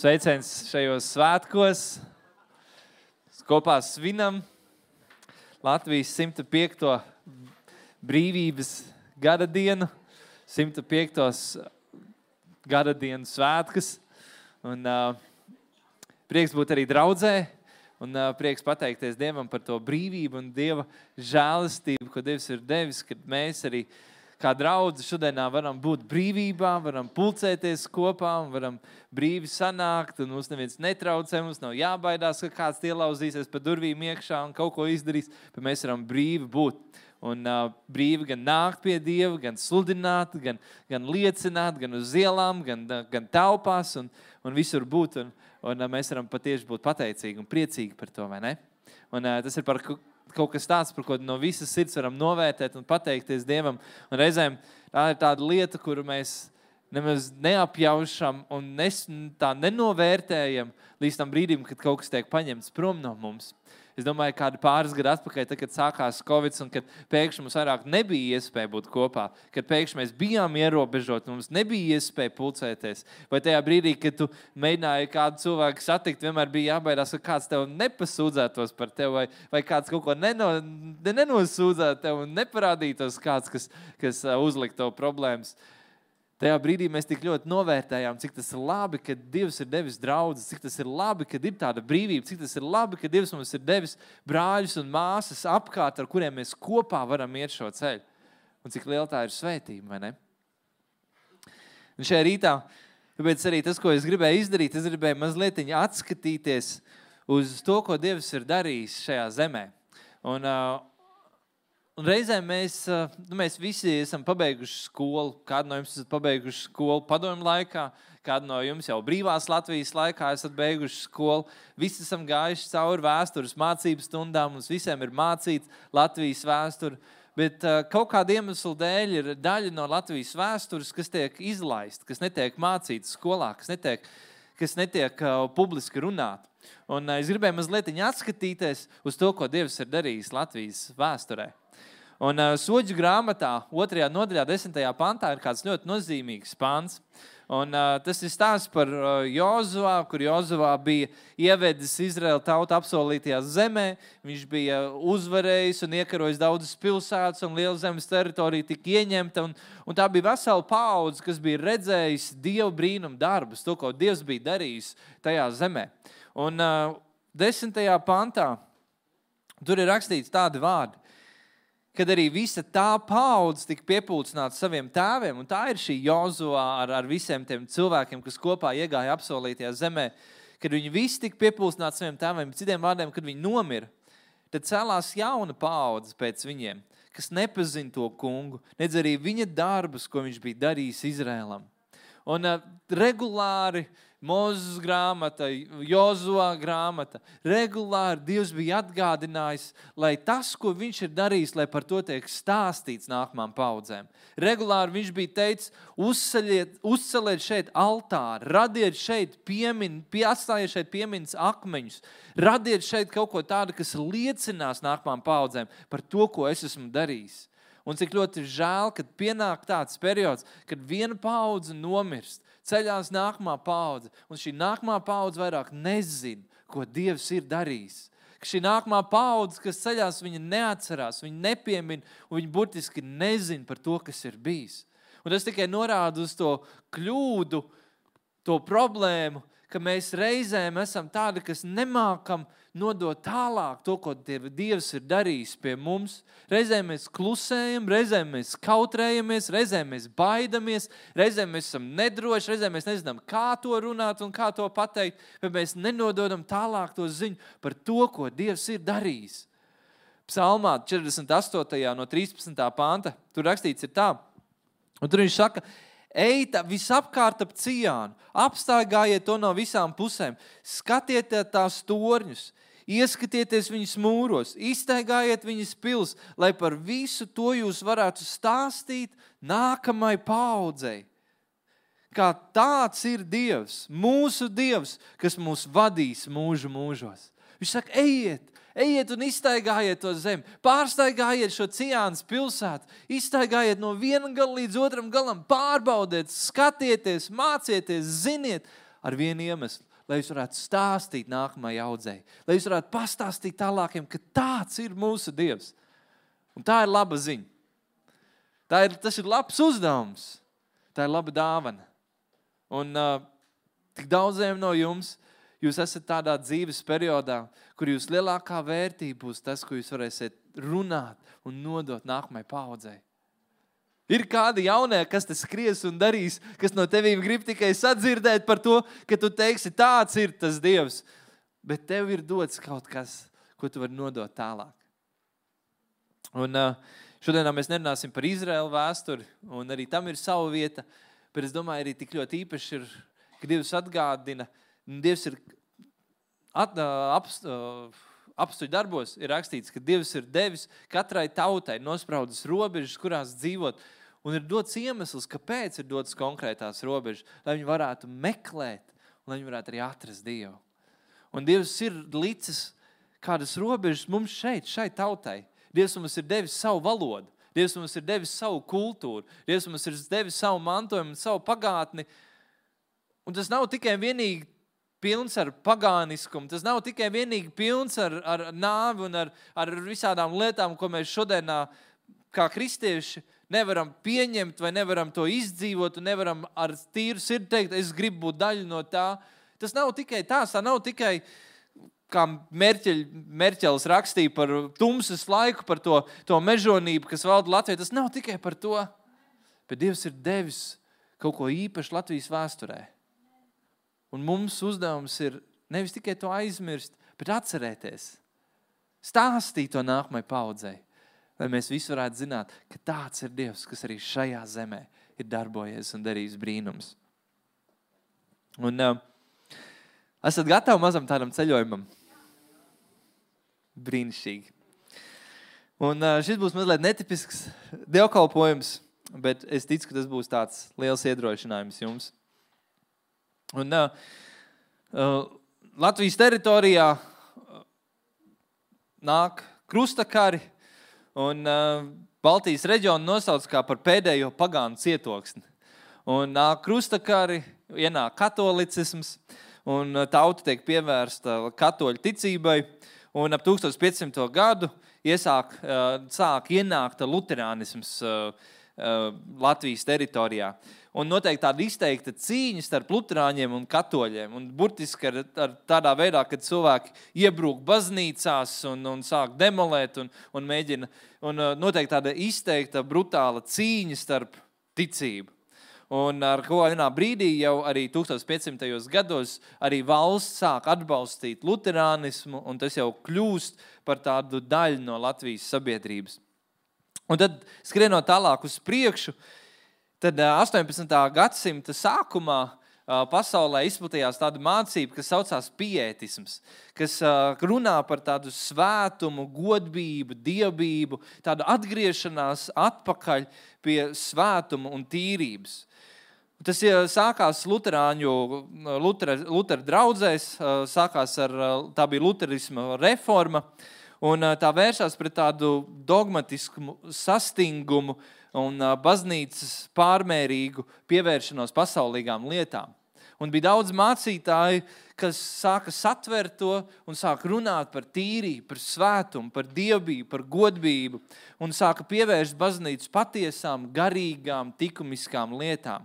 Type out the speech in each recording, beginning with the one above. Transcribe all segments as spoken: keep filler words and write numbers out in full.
Sveiciens šajos svētkos. Kopā svinam Latvijas simta piekto brīvības gada dienu, simta piektos gada dienu svētkus. Un uh, prieks būt arī draudzē un uh, prieks pateikties Dievam par to brīvību un Dieva žēlastību, ko Dievs ir devis, kad mēs arī kā draudze šodienā varam būt brīvībā, varam pulcēties kopā un varam brīvi sanākt, un mums neviens netraucē, mums nav jābaidās, ka kāds ielauzīsies pa durvīm iekšā un kaut ko izdarīs, bet mēs varam brīvi būt. Un uh, brīvi gan nākt pie Dieva, gan sludināt, gan, gan liecināt, gan uz ielām, gan, gan telpās un, un visur būt. Un, un uh, mēs varam patieši būt pateicīgi un priecīgi par to, vai ne? Un uh, tas ir par kaut kas tāds, par ko no visas sirds varam novērtēt un pateikties Dievam. Un reizēm tā ir tāda lieta, kuru mēs nemaz neapjaušam un nes, tā nenovērtējam līdz tam brīdim, kad kaut kas tiek paņemts prom no mums. Es domāju, kādi pāris gadu atpakaļ, tad, kad sākās Covid un kad pēkšņi mums vairāk nebija iespēja būt kopā, kad pēkšņi mēs bijām ierobežot, mums nebija iespēja pulcēties. Vai tajā brīdī, kad tu mēģināji kādu cilvēku satikt, vienmēr bija jābaidās, ka kāds tev nepasūdzētos par tevi, vai, vai kāds kaut ko neno, nenosūdzētu tev un neparādītos kāds, kas, kas uzlikt tev problēmas. Tajā brīdī mēs tik ļoti novērtējām, cik tas ir labi, ka Dievs ir devis draudzes, cik tas ir labi, ka ir tāda brīvība, cik tas ir labi, ka Dievs mums ir devis brāļus un māsas apkārt, ar kuriem mēs kopā varam iet šo ceļu. Un cik liela tā ir svētība, vai ne? Un šajā rītā, tāpēc arī tas, ko es gribēju izdarīt, es gribēju mazliet atskatīties uz to, ko Dievs ir darījis šajā zemē. Un, uh, Un reizēm mēs, nu, mēs visi esam pabeiguši skolu. Kādu no jums esat pabeiguši skolu padomju laikā, kādu no jums jau brīvās Latvijas laikā esat beiguši skolu. Visi esam gājuši cauri vēstures mācību stundām, mums visiem ir mācīts Latvijas vēsture. Bet uh, kaut kāda iemesla dēļ ir daļa no Latvijas vēstures, kas tiek izlaist, kas netiek mācīts skolā, kas netiek, kas netiek uh, publiski runāt. Un uh, es gribēju mazliet atskatīties uz to, ko Dievs ir darījis Latvijas vēsturē. Un uh, Soģu grāmatā, otrajā nodaļā, desmitajā pantā, ir kāds ļoti nozīmīgs pants. Un uh, tas ir stāsts par uh, Jozuvā, kur Jozuvā bija ievedis Izraēla tautu apsolītajā zemē. Viņš bija uzvarējis un iekarojis daudzas pilsētas, un liela zemes teritorija tika ieņemta. Un, un tā bija vesela paudze, kas bija redzējis Dieva brīnumu darbus, to, ko Dievs bija darījis tajā zemē. Un uh, desmitajā pantā tur ir rakstīts tādi vārdi, kad arī visa tā paudze tika piepulcināta saviem tēviem, un tā ir šī Jozuvā ar, ar visiem tiem cilvēkiem, kas kopā iegāja apsolītajā zemē, kad viņi visi tika piepulcināti saviem tēviem, citiem vārdiem, kad viņi nomira, tad celās jauna paudze pēc viņiem, kas nepazina to kungu, nedz arī viņa darbus, ko viņš bija darījis Izrēlam. Un uh, regulāri Mūzes grāmata, Jozua grāmata, regulāri Dievs bija atgādinājis, lai tas, ko viņš ir darījis, lai par to tiek stāstīts nākamām paudzēm. Regulāri viņš bija teicis, uzceļiet, uzceliet šeit altāri, radiet šeit piemin, pie, atstājiet šeit piemiņas akmeņus, radiet šeit kaut ko tādu, kas liecinās nākamām paudzēm par to, ko es esmu darījis. Un cik ļoti žēl, kad pienāk tāds periods, kad viena paudze nomirst, ceļās nākamā paudze, un šī nākamā paudze vairāk nezina, ko Dievs ir darījis. Ka šī nākamā paudze, kas ceļās, viņa neatcerās, viņa nepiemina, un viņa burtiski nezina par to, kas ir bijis. Un tas tikai norāda uz to kļūdu, to problēmu, ka mēs reizēm esam tādi, kas nemākam nodot tālāk to, ko Dievs ir darījis pie mums. Reizēm mēs klusējam, reizēm mēs kautrējamies, reizēm mēs baidamies, reizēm mēs esam nedroši, reizēm mēs nezinām, kā to runāt un kā to pateikt, bet mēs nenododam tālāk to ziņu par to, ko Dievs ir darījis. Psalmā četrdesmit astotajā no trīspadsmitā panta, tur rakstīts ir tā, un tur viņš saka, eita visapkārt ap Ciānu, apstaigājiet to no visām pusēm, skatiet tās torņus, ieskatieties viņas mūros, izstaigājiet viņas pils, lai par visu to jūs varētu stāstīt nākamai paudzei. Kā tāds ir Dievs, mūsu Dievs, kas mūs vadīs mūžu mūžos. Viņš saka, ejiet, ejiet un izstaigājiet to zemi, pārstaigājiet šo Ciānas pilsētu, izstaigājiet no viena gala līdz otram galam, pārbaudiet, skatieties, mācieties, ziniet, ar vienu iemeslu, lai jūs varētu stāstīt nākamajai audzei, lai jūs varētu pastāstīt tālākiem, ka tāds ir mūsu Dievs. Un tā ir laba ziņa. Tā ir, tas ir labs uzdevums. Tā ir laba dāvana. Un uh, tik daudziem no jums, jūs esat tādā dzīves periodā, kur jūs lielākā vērtība būs tas, ko jūs varēsiet runāt un nodot nākamajai paaudzei. Ir kādi jaunie, kas te skries un darīs, kas no tevīm grib tikai sadzirdēt par to, ka tu teiksi, tāds ir tas Dievs. Bet tev ir dots kaut kas, ko tu vari nodot tālāk. Un uh, šodienā mēs nerunāsim par Izraēlu vēsturi, un arī tam ir sava vieta, bet es domāju, arī tik ļoti īpaši ir, ka Dievs atgādina, Dievs ir at, uh, apst, uh, apstuļu darbos, ir rakstīts, ka Dievs ir devis katrai tautai nospraudis robežas, kurās dzīvot, un ir dots iemesls, kāpēc ir dots konkrētās robežas, lai viņi varētu meklēt, un lai viņi varētu arī atrast Dievu. Un Dievs ir licis kādas robežas mums šeit, šai tautai. Dievs mums ir devis savu valodu, Dievs mums ir devis savu kultūru, Dievs mums ir devis savu mantojumu, savu pagātni. Un tas nav tikai vienīgi pilns ar pagāniskumu, tas nav tikai vienīgi pilns ar, ar nāvi un ar, ar visādām lietām, ko mēs šodienā kā kristieši nevaram pieņemt vai nevaram to izdzīvot un nevaram ar tīru sirdi teikt, es gribu būt daļa no tā. Tas nav tikai tās, tā nav tikai kā Merķeļ, Merķelis rakstīja par tumsas laiku, par to, to mežonību, kas valda Latvijā. Tas nav tikai par to, bet Dievs ir devis kaut ko īpašu Latvijas vēsturē. Un mums uzdevums ir nevis tikai to aizmirst, bet atcerēties. Stāstīt to nākamai paaudzei, lai mēs visi varētu zināt, ka tāds ir Dievs, kas arī šajā zemē ir darbojies un darījis brīnums. Un uh, esat gatavi mazam tādam ceļojumam? Brīnišķīgi. Un uh, šis būs mazliet netipisks dievkalpojums, bet es ticu, ka tas būs tāds liels iedrošinājums jums. Un uh, uh, Latvijas teritorijā uh, nāk krustakari, un uh, Baltijas reģionu nosauc kā par pēdējo pagānu cietoksni. Un nāk krustakari, ienāk katolicisms, un tauta tiek pievērsta katoļu ticībai, un ap tūkstoš piecsimto gadu iesāk, sāk ienākt luterānisms Latvijas teritorijā. Un noteikti tāda izteikta cīņa starp luterāņiem un katoļiem. Un burtiski ar, ar tādā veidā, kad cilvēki iebrūk baznīcās un, un sāk demolēt un, un mēģina. Un noteikti tāda izteikta brutāla cīņa starp ticību. Un ar ko vienā brīdī jau arī tūkstoš piecsimtajos gados arī valsts sāk atbalstīt luterānismu, un tas jau kļūst par tādu daļu no Latvijas sabiedrības. Un tad, skrienot tālāk uz priekšu, tad astoņpadsmitā gadsimta sākumā pasaulē izplatījās tāda mācība, kas saucās piētisms, kas runā par tādu svētumu, godbību, dievbību, tādu atgriešanās atpakaļ pie svētuma un tīrības. Tas sākās luterāņu, Lutera, Lutera draudzēs, sākās ar, tā bija luterisma reforma, un tā vēršās pret tādu dogmatisku sastingumu un baznīcas pārmērīgu pievēršanos pasaulīgām lietām. Un bija daudz mācītāji, kas sāka satvert to un sāka runāt par tīrību, par svētumu, par dievbību, par godbību, un sāka pievērst baznīcu patiesām, garīgām, likumiskām lietām.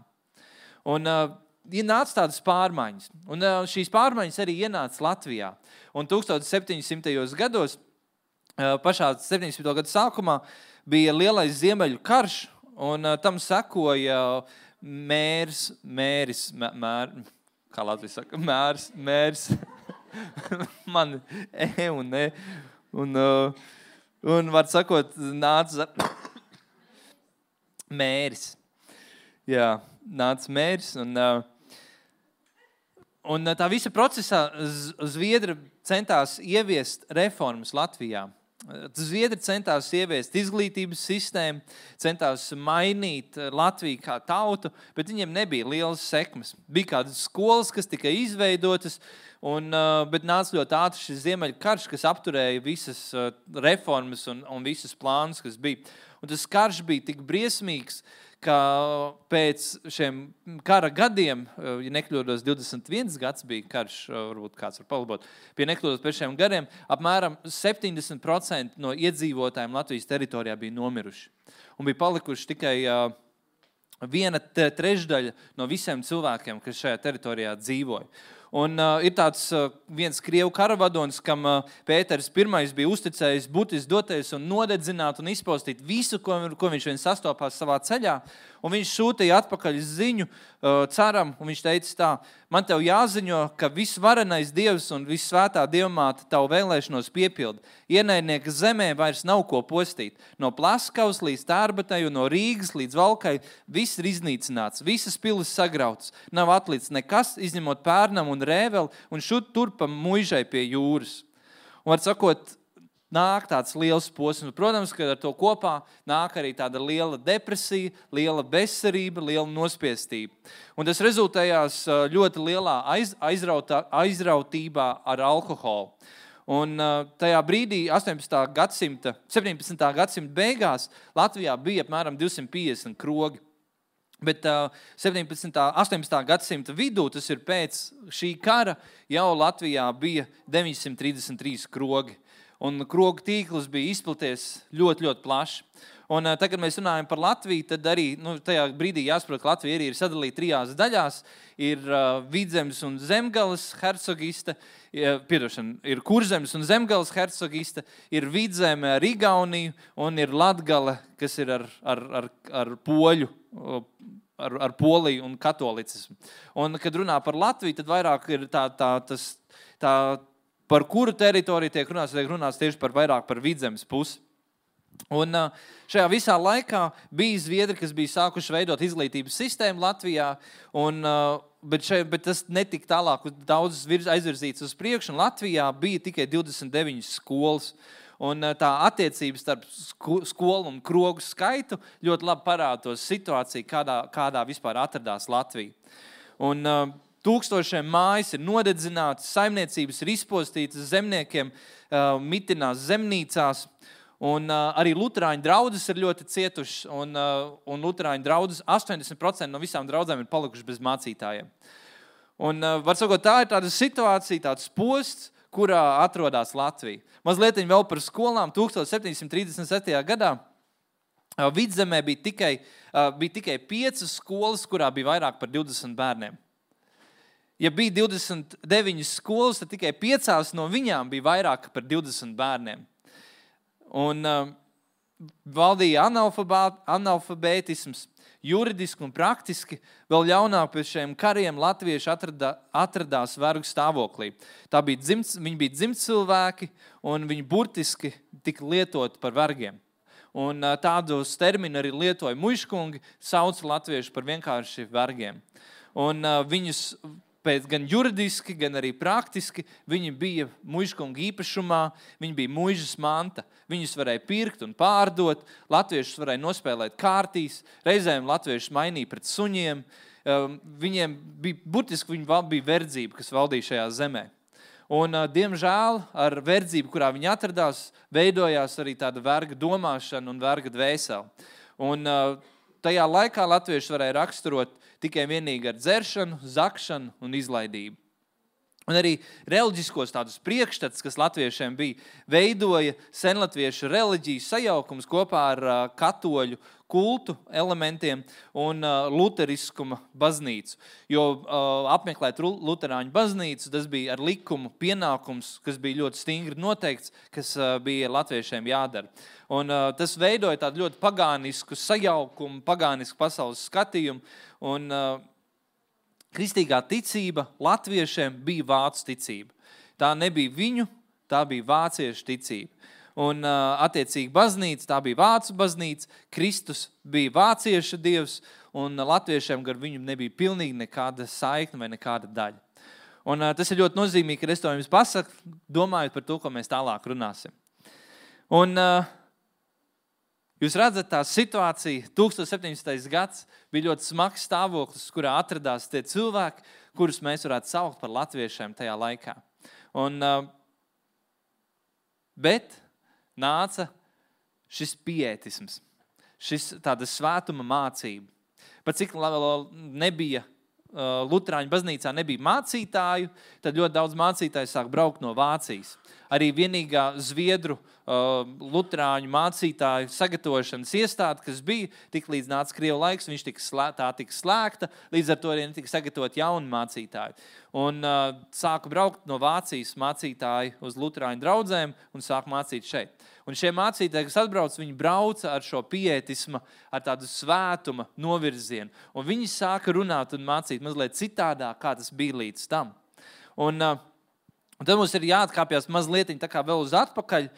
Un uh, ienāca tādas pārmaiņas. Un uh, šīs pārmaiņas arī ienāca Latvijā. Un tūkstoš septiņsimtajos gados, uh, pašā septiņdesmito gadu sākumā, bija lielais Ziemeļu karš, un uh, tam sekoja mērs, mēris, mēr, kā Latvijas saka, mērs, mērs, man e un ne, un, uh, un var sakot, nāca mēris. Jā, nāca mērs, un, un tā visa procesā Zviedri centās ieviest reformas Latvijā. Zviedri centās ieviest izglītības sistēmu, centās mainīt Latviju kā tautu, bet viņiem nebija lielas sekmes. Bija kādas skolas, kas tika izveidotas, un, bet nāca ļoti ātri šis Ziemeļu karš, kas apturēja visas reformas un, un visas plānus, kas bija. Un tas karš bija tik briesmīgs, ka pēc šiem kara gadiem, ja nekļūdos divdesmit viens gads bija karš, varbūt kāds var palabot, pie nekļūdos pēc šiem gadiem, apmēram septiņdesmit procenti no iedzīvotājiem Latvijas teritorijā bija nomiruši. Un bija palikuši tikai uh, viena trešdaļa no visiem cilvēkiem, kas šajā teritorijā dzīvoja. Un uh, ir tāds uh, viens krievu karavadons, kam uh, Pēters pirmais bija uzticējis butis doties un nodedzināt un izpostīt visu, ko, ko viņš vien sastopās savā ceļā. Un viņš sūtīja atpakaļ ziņu uh, caram, un viņš teica tā, man tev jāziņo, ka visvarenais Dievs un vissvētā Dievmāte tavu vēlēšanos piepilda. Ienaidnieka zemē vairs nav ko postīt. No Plaskavas līdz Tārbatai un no Rīgas līdz Valkai viss ir iznīcināts, visas pilis sagrautas. Nav atlicis nekas, izņemot Pērnam un Rēveli un šut turpa muižai pie jūras. Un var sakot, nāk tāds liels posms. Protams, ka ar to kopā nāk arī tāda liela depresija, liela bezcerība, liela nospiestība. Un tas rezultējās ļoti lielā aiz, aizrautā, aizrautībā ar alkoholu. Un tajā brīdī, astoņpadsmitā gadsimta, septiņpadsmitā gadsimta beigās, Latvijā bija apmēram divsimt piecdesmit krogi. Bet uh, septiņpadsmitā, astoņpadsmitā gadsimta vidū, tas ir pēc šī kara, jau Latvijā bija deviņsimt trīsdesmit trīs krogi. Un krogu tīkls bija izplaties ļoti, ļoti plaši. Un uh, tagad, kad mēs runājam par Latviju, tad arī nu, tajā brīdī jāsaprot, ka Latvija arī ir sadalīta trijās daļās. Ir uh, Vidzemes un Zemgales hercogiste, uh, piedošana, ir Kurzemes un Zemgales hercogiste, ir Vidzeme ar Igauniju un ir Latgale, kas ir ar, ar, ar, ar poļu, ar, ar Poliju un katolicismu. Un, kad runā par Latviju, tad vairāk ir tā, tā, tas, tā par kuru teritoriju tiek runāts, tiek runāts tieši par vairāk par Vidzemes pusi. Un šajā visā laikā bija zviedri, kas bija sākuši veidot izglītības sistēmu Latvijā, un, bet, šeit, bet tas netika tālāk daudz aizvirzīts uz priekšu, un Latvijā bija tikai divdesmit deviņas skolas. Un tā attiecības starp skolu un krogu skaitu ļoti labi parāda to situāciju, kādā, kādā vispār atradās Latvija. Un tūkstošiem mājas ir nodedzinātas, saimniecības ir izpostītas, zemniekiem uh, mitinās zemnīcās, un uh, arī luterāņu draudzes ir ļoti cietušas, un, uh, un luterāņu draudzes astoņdesmit procenti no visām draudzēm ir palikuši bez mācītājiem. Un, uh, var sakot, tā ir tāda situācija, tāds posts, kurā atrodas Latvija. Mazliet vēl par skolām. septiņdesmit trīsdesmit septītajā gadā uh, Vidzemē bija tikai, uh, bija tikai piecas skolas, kurā bija vairāk par divdesmit bērniem. Ja bija divdesmit deviņas skolas, tad tikai piecās no viņām bija vairāk par divdesmit bērniem. Un uh, valdīja analfabētisms, juridiski un praktiski. Vēl ļaunāk pēc šiem kariem latvieši atradā, atradās vergu stāvoklī. Tā bija dzimts, viņi bija dzimts cilvēki, un viņi burtiski tika lietoti par vergiem. Un uh, tādos terminu arī lietoja muižkungi, sauc latvieši par vienkārši vergiem. Un uh, viņus pēc gan juridiski, gan arī praktiski, viņi bija muižkunga īpašumā, viņi bija muižas manta. Viņus varēja pirkt un pārdot, latviešus varēja nospēlēt kārtīs, reizēm latviešus mainīja pret suņiem. Viņiem bija, burtiski viņi bija verdzība, kas valdīja šajā zemē. Un, diemžēl, ar verdzību, kurā viņi atradās, veidojās arī tāda verga domāšana un verga dvēsele. Un tajā laikā latvieši varēja raksturot tikai vienīgi ar dzeršanu, zakšanu un izlaidību. Un arī reliģiskos tādus priekšstats, kas latviešiem bija, veidoja senlatviešu reliģiju sajaukums kopā ar uh, katoļu kultu elementiem un uh, luteriskuma baznīcu. Jo uh, apmeklēt luterāņu baznīcu, tas bija ar likumu pienākums, kas bija ļoti stingri noteikts, kas uh, bija latviešiem jādara. Un uh, tas veidoja tādu ļoti pagānisku sajaukumu, pagānisku pasaules skatījumu. Un uh, kristīgā ticība latviešiem bija vācu ticība. Tā nebija viņu, tā bija vāciešu ticība. Un uh, attiecīgi baznīca, tā bija vācu baznīca, Kristus bija vācieša dievs, un latviešiem gar viņu nebija pilnīgi nekāda saikne vai nekāda daļa. Un uh, tas ir ļoti nozīmīgi, ka es to jums pasaku, domājot par to, ko mēs tālāk runāsim. Un uh, jūs redzat, tā situācija, tūkstoš septiņdesmitais gads, bija ļoti smags stāvoklis, kurā atradās tie cilvēki, kurus mēs varētu saukt par latviešiem tajā laikā. Un, bet nāca šis piētisms, šis tāda svētuma mācība. pat cik nebija Luterāņu baznīcā nebija mācītāju, tad ļoti daudz mācītāju sāk braukt no Vācijas. Arī vienīgā Zviedru uh, Luterāņu mācītāju sagatavošanas iestāde, kas bija, tik līdz nāca Krievu laiks, viņš tika slē, tā tika slēgta, līdz ar to arī netika sagatavot jauni mācītāji. Un uh, sāka braukt no Vācijas mācītāji uz Luterāņu draudzēm un sāk mācīt šeit. Un šie mācītāji, kas atbrauc, viņi brauca ar šo pietisma, ar tādu svētuma novirzienu. Un viņi sāka runāt un mācīt mazliet citādā, kā tas bija līdz tam. Un, uh, un tad mums ir jāatkāpjas mazliet tā kā vēl uz atpakaļ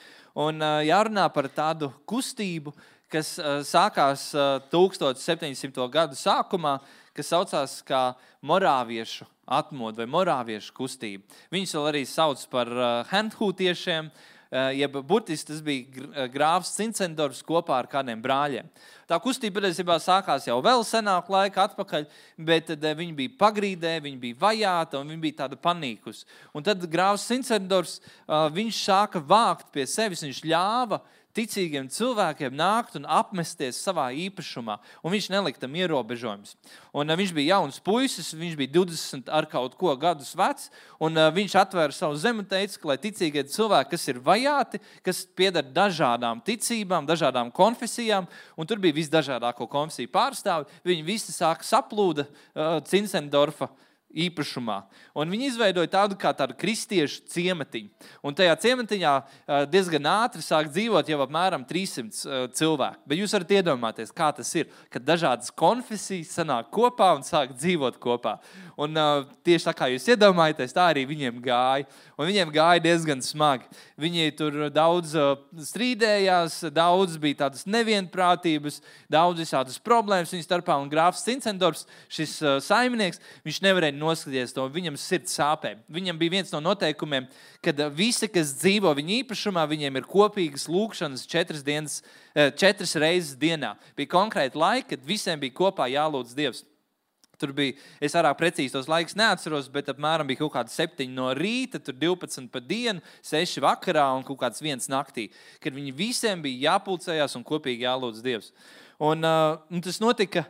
un uh, jārunā par tādu kustību, kas uh, sākās uh, tūkstoš septiņsimto gadu sākumā, kas saucās kā morāviešu atmodu vai morāviešu kustību. Viņus vēl arī sauc par uh, henhūtiešiem, jeb burtiski tas bija grāfs Cincendorfs kopā ar kādiem brāļiem. Tā kustība patiesībā sākās jau vēl senāk laika atpakaļ, bet tad viņi bija pagrīdē, viņi bija vajāta un viņi bija tāda panīkus. Un tad grāfs Cincendorfs, viņš sāka vākt pie sevis, viņš ļāva ticīgiem cilvēkiem nākt un apmesties savā īpašumā, un viņš nelika tam ierobežojumus. Un viņš bija jauns puisis, viņš bija divdesmit ar kaut ko gadus vecs, un viņš atvēra savu zemi un teica, ka lai ticīgie cilvēki, kas ir vajāti, kas pieder dažādām ticībām, dažādām konfesijām, un tur bija visdažādāko konfesiju pārstāvi, viņi visi sāka saplūda uh, Cincendorfa īpašumā. Un viņi izveidoja tādu kā tādu kristiešu ciematiņu. Un tajā ciematiņā diezgan ātri sāk dzīvot jau apmēram trīssimt cilvēku. Bet jūs varat iedomāties, kā tas ir, kad dažādas konfesijas sanāk kopā un sāk dzīvot kopā. Un tieši tā kā jūs iedomājaties, tā arī viņiem gāja. Un viņiem gāja diezgan smagi. Viņi tur daudz strīdējās, daudz bija tādas nevienprātības, daudz visādas problēmas viņu starpā. Un grāfs Cincendorfs, šis saimnieks, viņš nevarēja noskaties to, viņam sirds sāpē. Viņam bija viens no noteikumiem, kad visi, kas dzīvo viņa īpašumā, viņiem ir kopīgas lūkšanas četras, dienas, četras reizes dienā. Bija konkrēti laiki, kad visiem bija kopā jālūdz Dievs. Tur bija, es vairāk precīzi tos laikus neatceros, bet apmēram bija kaut kādi septiņi no rīta, tur divpadsmit pa dienu, seši vakarā un kaut kāds viens naktī, kad viņi visiem bija jāpulcējās un kopīgi jālūdz Dievs. Un, uh, un tas notika,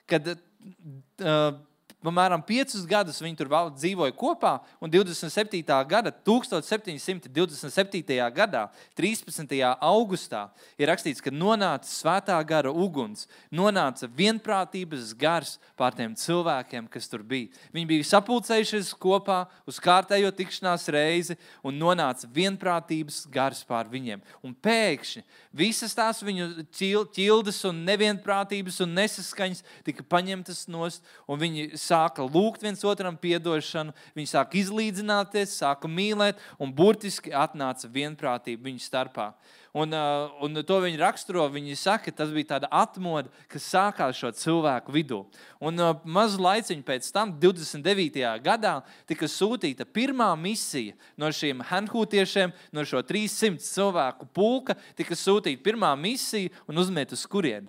kad uh, Apmēram piecus gadus viņi tur dzīvoja kopā, un divdesmit septītā gada, tūkstoš septiņsimt divdesmit septītajā gadā, trīspadsmitajā augustā, ir rakstīts, ka nonāca svētā gara uguns, nonāca vienprātības gars pār tiem cilvēkiem, kas tur bija. Viņi bija sapulcējušies kopā uz kārtējo tikšanās reizi, un nonāca vienprātības gars pār viņiem. Un pēkšņi visas tās viņu ķildes un nevienprātības un nesaskaņas tika paņemtas nost, un viņi sāka lūgt viens otram piedošanu, viņi sāka izlīdzināties, sāka mīlēt, un burtiski atnāca vienprātība viņu starpā. Un, uh, un to viņi raksturo, viņi saka, tas bija tāda atmoda, kas sākās šo cilvēku vidū. Un uh, mazu laiciņu pēc tam, divdesmit devītajā gadā, tika sūtīta pirmā misija no šiem henhūtiešiem, no šo trīssimt cilvēku pulka, tika sūtīta pirmā misija un uzmet uz kurieni?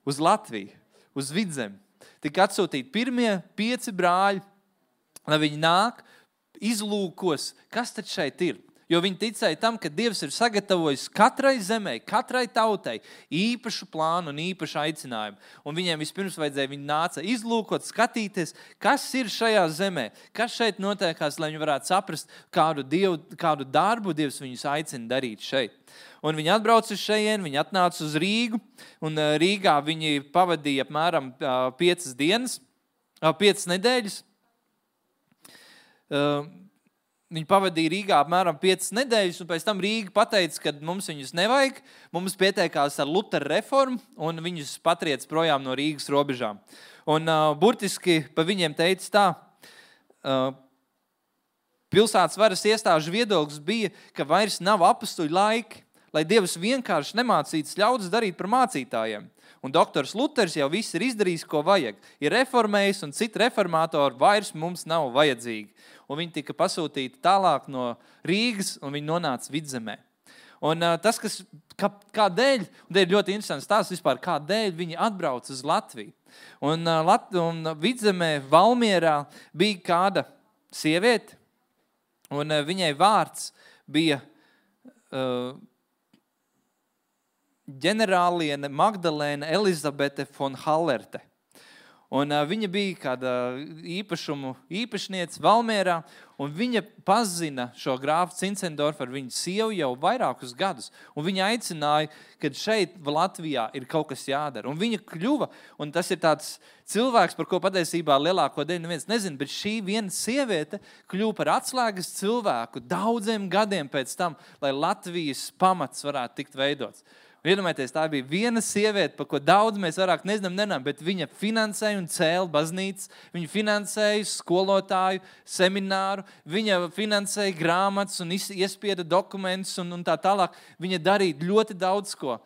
Uz Latviju, uz Vidzemi. Tika atsūtīti pirmie pieci brāļi, lai viņi nāk, izlūkos, kas tad šeit ir. Jo viņi ticēja tam, ka Dievs ir sagatavojis katrai zemē, katrai tautai īpašu plānu un īpašu aicinājumu. Un viņiem vispirms vajadzēja, viņi nāca izlūkot, skatīties, kas ir šajā zemē, kas šeit notiekās, lai viņi varētu saprast, kādu, dievu, kādu darbu Dievs viņus aicina darīt šeit. Un viņi atbrauca uz šejien, viņi atnāca uz Rīgu, un Rīgā viņi pavadīja apmēram piecas dienas, piecas nedēļas. Viņi pavadīja Rīgā apmēram piecas nedēļas, un pēc tam Rīga pateica, ka mums viņus nevajag, mums pieteikās ar Lutera reformu, un viņus patriec projām no Rīgas robežām. Un uh, burtiski pa viņiem teica tā, uh, pilsētas varas iestāžu viedoklis bija, ka vairs nav apustuļu laiki, lai Dievs vienkārši nemācītas ļaudis darīt par mācītājiem. Un doktors Luters jau viss ir izdarījis, ko vajag. Ir reformējis, un citi reformātori vairs mums nav vajadzīgi. Un viņi tika pasūtīti tālāk no Rīgas, un viņi nonāca Vidzemē. Un uh, tas, kas, kā, kādēļ, un te ir ļoti interesants tās vispār, kādēļ viņi atbrauc uz Latviju. Un, uh, Lat, un Vidzemē, Valmierā bija kāda sieviete, un uh, viņai vārds bija uh, ģenerāliene Magdalēna Elizabete von Hallerte. Un uh, viņa bija kāda īpašumu īpašniece Valmierā, un viņa pazina šo grāfu Zinzendorfu ar viņu sievu jau vairākus gadus. Un viņa aicināja, ka šeit Latvijā ir kaut kas jādara. Un viņa kļuva, un tas ir tāds cilvēks, par ko patiesībā lielāko daļu neviens nezina, bet šī viena sieviete kļuva par atslēgas cilvēku daudziem gadiem pēc tam, lai Latvijas pamats varētu tikt veidots. Iedomājieties, tā bija viena sieviete, par ko daudz mēs vairāk nezinām, nenām, bet viņa finansēja un cēla baznīcas, viņa finansēja skolotāju semināru, viņa finansēja grāmatas un iespieda dokumentus un, un tā tālāk. Viņa darīja ļoti daudz ko,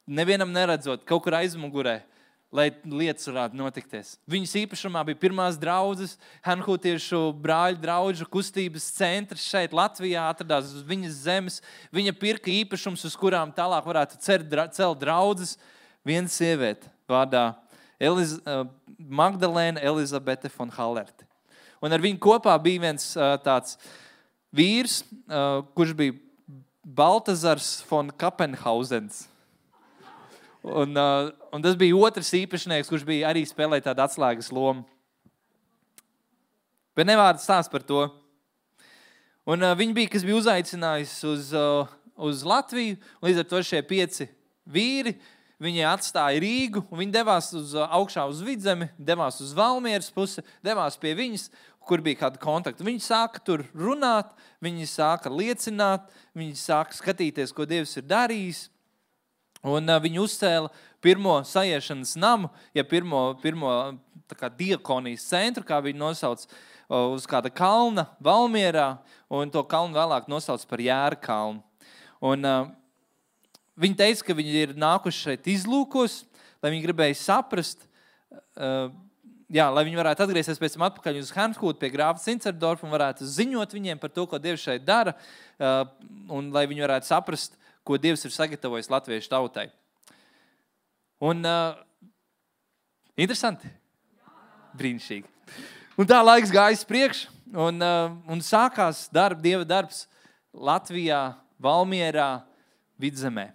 nevienam neredzot, kaut kur aizmugurē, lai lietas varētu notikties. Viņas īpašumā bija pirmās draudzes, Hanhūtiešu brāļu draudžu kustības centrs šeit Latvijā, atradās uz viņas zemes. Viņa pirka īpašums, uz kurām tālāk varētu celt draudzes. Viena sieviete vārdā Eliz, uh, Magdalēna Elizabete von Hallerte. Un ar viņu kopā bija viens uh, tāds vīrs, uh, kurš bija Baltazars von Kapenhausens. Un, uh, un tas bija otrs īpašnieks, kurš bija arī spēlēja tādu atslēgas lomu. Bet nevārds stāst par to. Un uh, viņi bija, kas bija uzaicinājis uz, uh, uz Latviju, un līdz ar to šie pieci vīri, viņi atstāja Rīgu, un viņi devās uz, uh, augšā uz Vidzemi, devās uz Valmieras pusi, devās pie viņas, kur bija kāda kontakta. Viņi sāka tur runāt, viņi sāka liecināt, viņi sāka skatīties, ko Dievs ir darījis. Un uh, viņi uzcēla pirmo sajiešanas namu, ja pirmo, pirmo tā kā diakonijas centru, kā viņi nosauc, uh, uz kāda kalna Valmierā, un to kalnu vēlāk nosauc par Jēra kalnu. Un uh, viņi teica, ka viņi ir nākuši šeit izlūkos, lai viņi gribēja saprast, uh, jā, lai viņi varētu atgriezties pēc tam atpakaļ uz Hanhūtu pie grāfa Zinzendorfa un varētu ziņot viņiem par to, ko Dievs šeit dara, uh, un lai viņi varētu saprast, ko Dievs ir sagatavojis latviešu tautai. Un uh, interesanti? Brīnišķīgi. Un tā laiks gājas priekš, un, uh, un sākās darb, Dieva darbs Latvijā, Valmierā, Vidzemē.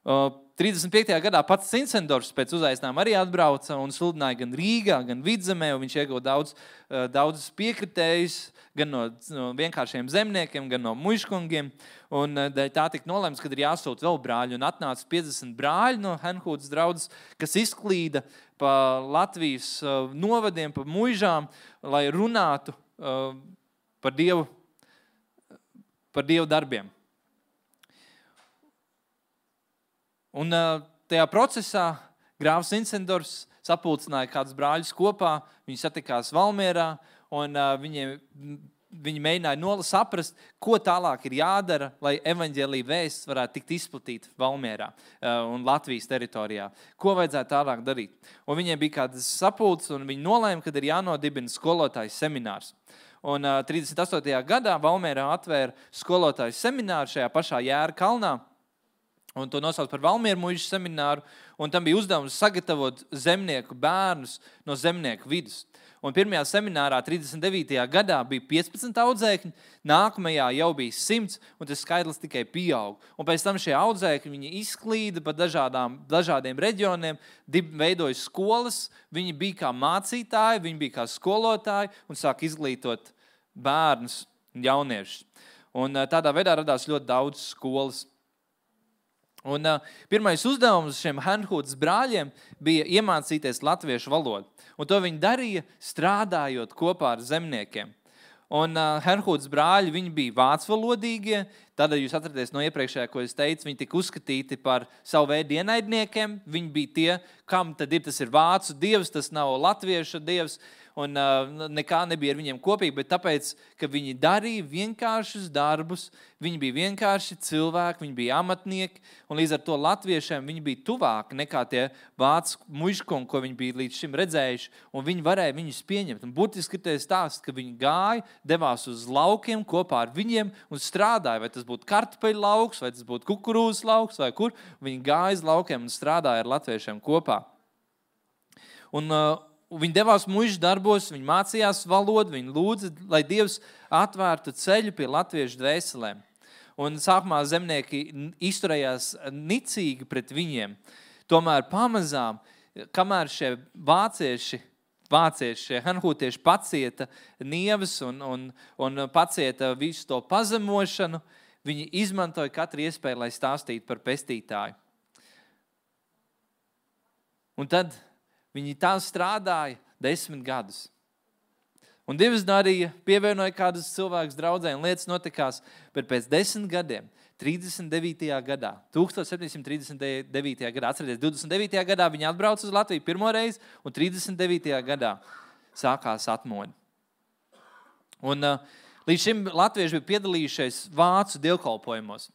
Uh, trīsdesmit piektajā gadā pats Zinzendorfs pēc uzaicinājuma arī atbrauca un sludināja gan Rīgā, gan Vidzemē, un viņš ieguva daudz, uh, daudz piekritējus, gan no, no vienkāršiem zemniekiem, gan no muižkungiem. Un tā tika nolēmts, kad ir jāsūt vēl brāļi. Un atnāca piecdesmit brāļi no Hanhūtas draudzes, kas izklīda pa Latvijas uh, novadiem, pa muižām, lai runātu uh, par Dievu, par Dievu darbiem. Un uh, tajā procesā grāfs Zinzendorfs sapulcināja kādus brāļus kopā, viņi satikās Valmierā, un uh, viņiem, viņi mēģināja nola saprast, ko tālāk ir jādara, lai evaņģēlija vēsts varētu tikt izplatīta Valmierā uh, un Latvijas teritorijā. Ko vajadzētu tālāk darīt? Un viņiem bija kādas sapulces, un viņi nolēma, kad ir jānodibina skolotājs seminārs. Un uh, trīsdesmit astotajā gadā Valmierā atvēra skolotājs semināru šajā pašā Jēra kalnā, un to nosauc par Valmieru muižu semināru, un tam bija uzdevums sagatavot zemnieku bērnus no zemnieku vidus. Un pirmajā seminārā trīsdesmit devītajā gadā bija piecpadsmit audzēkņi, nākamajā jau bija simts, un tas skaitlis tikai pieaug. Un pēc tam šie audzēkņi viņi izklīda pa dažādām, dažādiem reģioniem, veidoja skolas, viņi bija kā mācītāji, viņi bija kā skolotāji un sāk izglītot bērnus un jauniešus. Un tādā veidā radās ļoti daudz skolas. Un uh, pirmais uzdevums šiem Hanhūtas brāļiem bija iemācīties latviešu valodu. Un to viņi darīja, strādājot kopā ar zemniekiem. Un uh, Hanhūtas brāļi, viņi bija vācvalodīgie, tad jūs atraties no iepriekšējā, ko es teicu, viņi tika uzskatīti par savu veidu ienaidniekiem. Viņi bija tie, kam tad ir, tas ir vācu dievs, tas nav latviešu dievs. Un uh, nekā nebija ar viņiem kopīgi, bet tāpēc, ka viņi darīja vienkāršus darbus, viņi bija vienkārši cilvēki, viņi bija amatnieki, un līdz ar to latviešiem viņi bija tuvāki nekā tie vācu muižkungi, ko viņi bija līdz šim redzējuši, un viņi varēja viņus pieņemt. Un būtiski ir stāsts, ka viņi gāja, devās uz laukiem kopā ar viņiem un strādāja, vai tas būtu kartupeļu lauks, vai tas būtu kukurūzas lauks, vai kur. Viņi gāja uz laukiem un strādāja ar latviešiem kopā. Un uh, viņi devās muižu darbos, viņi mācījās valodu, viņi lūdza, lai Dievs atvērtu ceļu pie latviešu dvēselēm. un sākumā zemnieki izturējās nicīgi pret viņiem. Tomēr pamazām, kamēr šie vācieši, vācieši šie hanhūtieši pacieta nievas un, un, un pacieta visu to pazemošanu, viņi izmantoja katru iespēju, lai stāstītu par pestītāju. Un tad viņi tā strādāja desmit gadus. Un Dievs darīja, pievienoja kādus cilvēkus draudzē, un lietas notikās, bet pēc desmit gadiem, trīsdesmit devītajā gadā, tūkstoš septiņsimt trīsdesmit devītajā gadā, atcerieties, divdesmit devītajā gadā viņi atbrauca uz Latviju pirmo reizi, un trīsdesmit devītajā gadā sākās atmoda. Un uh, līdz šim latvieši bija piedalījušies vācu dievkalpojumos.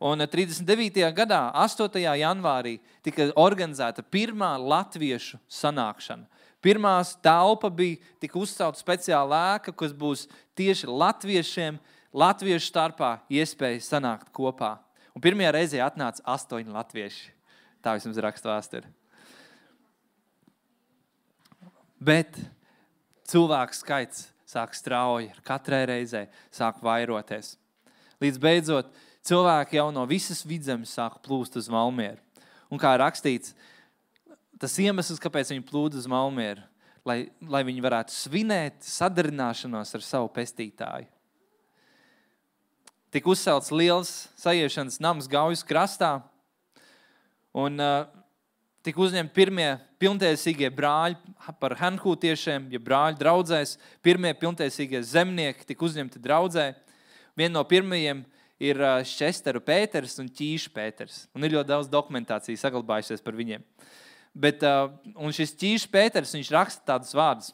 Un trīsdesmit devītajā gadā, astotajā janvārī, tika organizēta pirmā latviešu sanākšana. Pirmās telpa bija tika uzcelta speciāla ēka, kas būs tieši latviešiem, latviešu starpā iespēja sanākt kopā. Un pirmajā reizē atnāca astoņi latvieši. Tā vismaz raksta vēsture. Bet cilvēku skaits sāk strauji, katrai reizē sāk vairoties. Līdz beidzot, cilvēki jau no visas vidzemes sāk plūst uz Valmieru. Un kā rakstīts, tas iemesls, kāpēc viņi plūda uz Valmieru, lai, lai viņi varētu svinēt sadarināšanos ar savu pestītāju. Tik uzcelts liels sajiešanas nams Gaujas krastā, un uh, tik uzņemti pirmie pilntiesīgie brāļi par hanhūtiešiem, ja brāļi draudzēs, pirmie pilntiesīgie zemnieki tik uzņemti draudzē. Vien no pirmajiem ir uh, Šesteru Pēters un Ķīša Pēters, un ir ļoti daudz dokumentācijas saglabājusies par viņiem. Bet, uh, un šis Ķīša Pēters, viņš raksta tādus vārdus.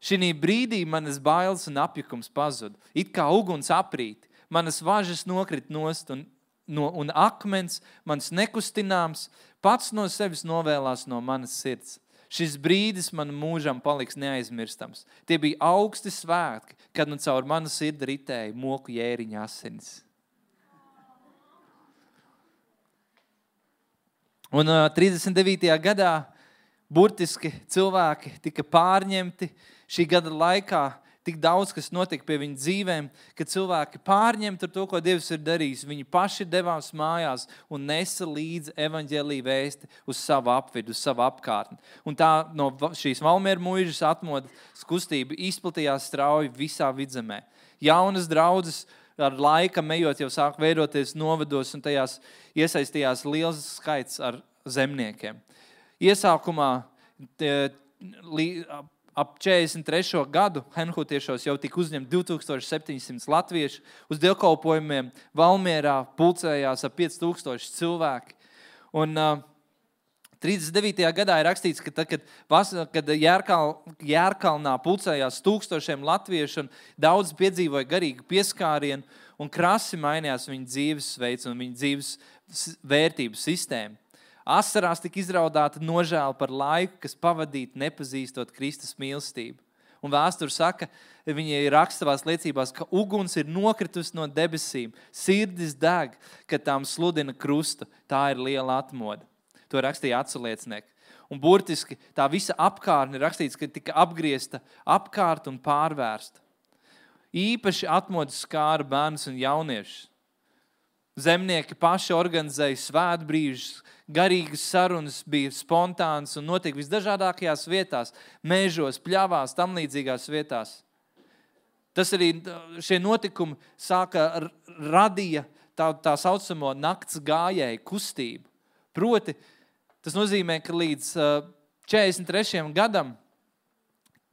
Šinī brīdī manas bailes un apjukums pazud, it kā uguns aprīt, manas važas nokrit nost un, no, un akmens, mans nekustināms, pats no sevis novēlās no manas sirds. Šis brīdis man mūžam paliks neaizmirstams. Tie bija augsti svētki, kad nu caur manu sirdi ritēja moku jēriņa asinis. Un uh, trīsdesmit devītajā gadā burtiski cilvēki tika pārņemti. Šī gada laikā tik daudz, kas notika pie viņu dzīvēm, ka cilvēki pārņemti ar to, ko Dievs ir darījis. Viņi paši devās mājās un nesa līdzi evaņģēliju vēsti uz savu apvidu, uz savu apkārtni. Un tā no šīs Valmieru muižas atmodas kustība izplatījās strauji visā vidzemē. Jaunas draudzes ar laika ejot jau sāk veidoties novados, un tajās iesaistījās liels skaits ar zemniekiem. Iesākumā tie, li, ap četrdesmit trešo gadu hanhūtiešos jau tika uzņemt divi tūkstoši septiņi simti latvieši. Uz dievkalpojumiem Valmierā pulcējās ap pieci tūkstoši cilvēki. Un uh, trīsdesmit devītajā gadā ir rakstīts, ka tad, kad, vas, kad Jērkal, Jērkalnā pulcējās tūkstošiem latviešu un daudz piedzīvoja garīgu pieskārienu un krasi mainījās viņa dzīvesveids un viņa dzīves vērtību sistēmu. Asarās tika izraudāta nožēla par laiku, kas pavadīt nepazīstot Kristus mīlestību. Un vēsture saka, viņi raksta savās liecībās, ka uguns ir nokritus no debesīm, sirdis deg, kad tām sludina krustu. Tā ir liela atmoda. To rakstīja atsaliecinieki. Un burtiski tā visa apkārtne ir rakstīts, ka tika apgriezta apkārt un pārvērsta. Īpaši atmodas skāra bērnus un jauniešus. Zemnieki paši organizēja svētbrīžus, garīgas sarunas bija spontānas un notika visdažādākajās vietās, mežos, pļavās, tam līdzīgās vietās. Tas arī šie notikumi sāka radīja tā, tā saucamo nakts gājēju kustību. Proti, tas nozīmē, ka līdz četrdesmit trešajam gadam,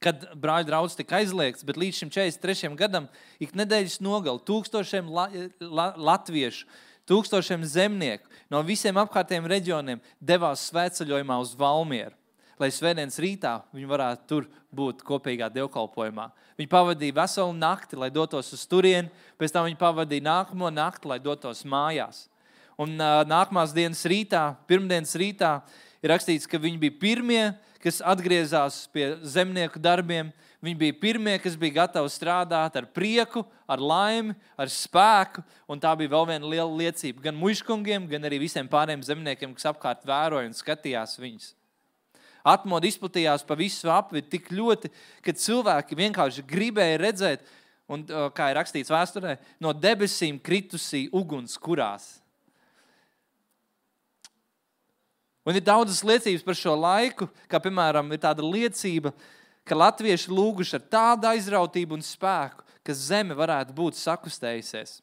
kad brāļu draudz tika aizliegts, bet līdz šim četrdesmit trešajam gadam ik nedēļas nogali tūkstošiem la, la, latviešu, tūkstošiem zemnieku no visiem apkārtējiem reģioniem devās svētceļojumā uz Valmieru, lai svētdienas rītā viņi varētu tur būt kopīgā dievkalpojumā. Viņi pavadīja veselu nakti, lai dotos uz turieni, pēc tam viņi pavadīja nākamo nakti, lai dotos mājās. Un uh, nākamās dienas rītā, pirmdienas rītā, ir rakstīts, ka viņi bija pirmie, kas atgriezās pie zemnieku darbiem. Viņi bija pirmie, kas bija gatavi strādāt ar prieku, ar laimi, ar spēku. Un tā bija vēl viena liela liecība gan muižkungiem, gan arī visiem pārējiem zemniekiem, kas apkārt vēroja un skatījās viņus. Atmoda izplatījās pa visu apvidu tik ļoti, ka cilvēki vienkārši gribēja redzēt un, kā ir rakstīts vēsturē, no debesīm kritusī uguns kurās. Un ir daudzas liecības par šo laiku, kā piemēram ir tāda liecība, ka latvieši lūguši ar tādu aizrautību un spēku, ka zeme varētu būt sakustējusies.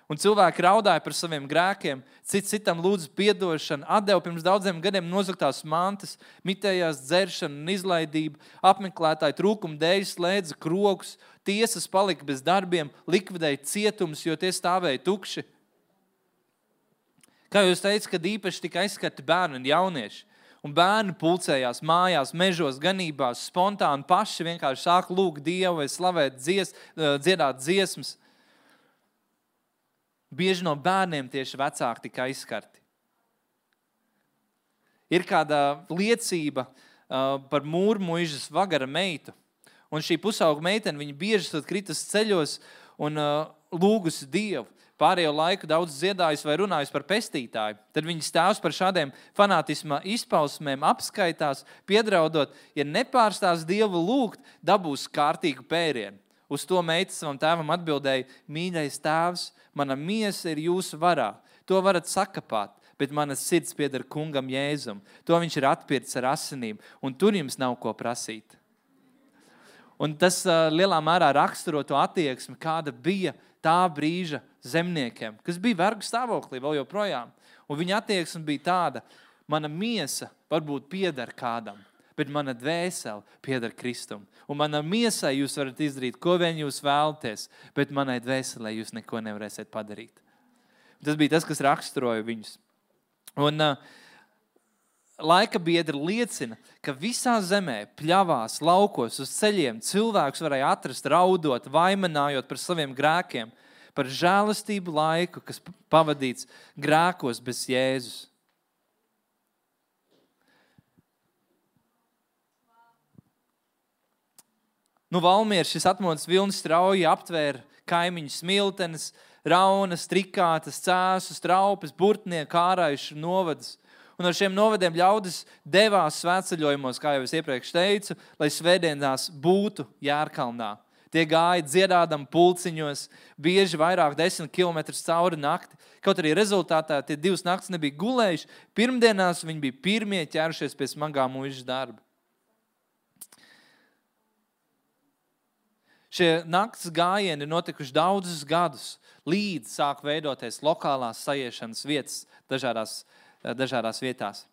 Un cilvēki raudāja par saviem grēkiem, cits citam lūdzu piedošanu, atdeva pirms daudziem gadiem nozaktās mantas, mitējās dzeršanu un izlaidību, apmeklētāju trūkumu dēļ slēdza krogus, tiesas palika bez darbiem, likvidēja cietumus, jo tie stāvēja tukši. Kā jūs teicat, kad īpaši tika aizskarti bērni un jaunieši, un bērni pulcējās mājās, mežos, ganībās, spontāni paši vienkārši sāk lūgt Dievu vai slavēt dzies, dziedāt dziesmas. Bieži no bērniem tieši vecāki tika aizskarti. Ir kāda liecība uh, par mūrmuižas Vagara meitu. Un šī pusauga meitene, viņa bieži esot kritus ceļos un uh, lūgusi Dievu. Pārējo laiku daudz dziedājis vai runājis par pestītāju. Tad viņas tēvs par šādiem fanātisma izpausmēm apskaitās, piedraudot, ja nepārstās Dievu lūgt, dabūs kārtīgu pērienu. Uz to meita savam tēvam atbildēja, mīļais tēvs, mana miesa ir jūsu varā. To varat sakapāt, bet manas sirds pieder kungam Jēzum. To viņš ir atpircis ar asinīm, un tur jums nav ko prasīt. Un tas uh, lielā mērā raksturo to attieksmi, kāda bija tā brīža zemniekiem, kas bija vergu stāvoklī vēl joprojām. Un viņa attieksme bija tāda, mana miesa varbūt pieder kādam, bet mana dvēsele pieder Kristum. Un mana miesai jūs varat izdarīt, ko vien jūs vēlaties, bet manai dvēselē jūs neko nevarēsiet padarīt. Tas bija tas, kas raksturoja viņus. Un uh, laika biedri liecina, ka visā zemē, pļavās, laukos, uz ceļiem cilvēks varēja atrast raudot, vaimanājot par saviem grēkiem, par žēlastību laiku, kas pavadīts grēkos bez Jēzus. Nu, Valmiera šis atmodas vilnis strauji aptvēra kaimiņu smiltenes, raunas, trikātas, cēsus, traupes, burtnieku, āraišu novadus. Un ar šiem novadiem ļaudis devās svētceļojumos, kā jau es iepriekš teicu, lai svētdienās būtu Jērkalnā. Tie gāja dziedādam pulciņos, bieži vairāk desmit kilometrus cauri nakti. Kaut arī rezultātā tie divas naktis nebija gulējuši, pirmdienās viņi bija pirmie ķērušies pie smagā muižas darba. Šie nakts gājieni ir notikuši daudzus gadus, līdz sāk veidoties lokālās sajiešanas vietas dažādās, dažādās vietās.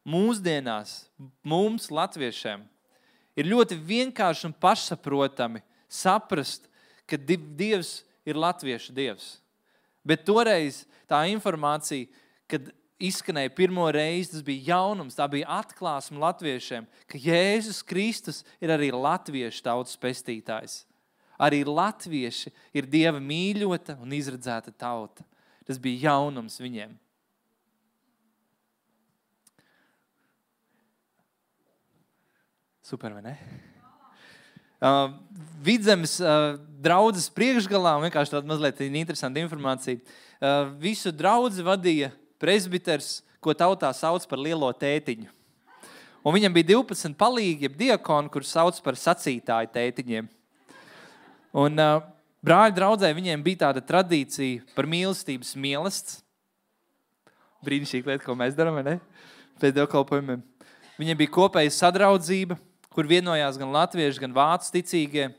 Mūsdienās mums, latviešiem, ir ļoti vienkārši un pašsaprotami saprast, ka Dievs ir latviešu Dievs. Bet toreiz tā informācija, kad izskanēja pirmo reizi, tas bija jaunums, tā bija atklāsme latviešiem, ka Jēzus Kristus ir arī latviešu tautas pestītājs. Arī latvieši ir Dieva mīļota un izredzēta tauta. Tas bija jaunums viņiem. Super, vai ne? Uh, Vidzemes uh, draudzes priekšgalā, vienkārši tāda mazliet interesanta informācija, uh, visu draudzi vadīja presbiters, ko tautā sauc par lielo tētiņu. Un viņam bija divpadsmit palīgi, jeb diakoni, kurus sauc par sacītāju tētiņiem. Un uh, brāļu draudzē viņiem bija tāda tradīcija par mīlestības mielasts. Brīnišķīga lieta, ko mēs darām, vai ne? Pēc dievkalpojumiem. Viņiem bija kopēja sadraudzība, kur vienojās gan latvieši, gan vācu ticīgie.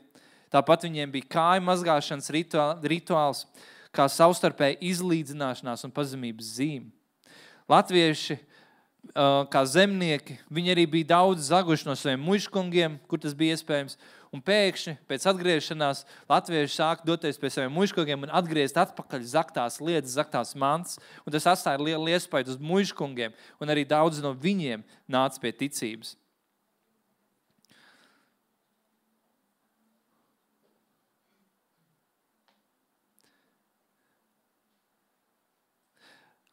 Tāpat viņiem bija kāju mazgāšanas rituāls, kā savstarpēja izlīdzināšanās un pazemības zīme. Latvieši, kā zemnieki, viņi arī bija daudz zaguši no saviem muižkungiem, kur tas bija iespējams, un pēkšņi pēc atgriešanās latvieši sāka doties pie saviem muižkungiem un atgriezt atpakaļ zaktās lietas, zaktās mantas, un tas atstāja lielu iespaidu uz muižkungiem, un arī daudz no viņiem nāca pie ticības.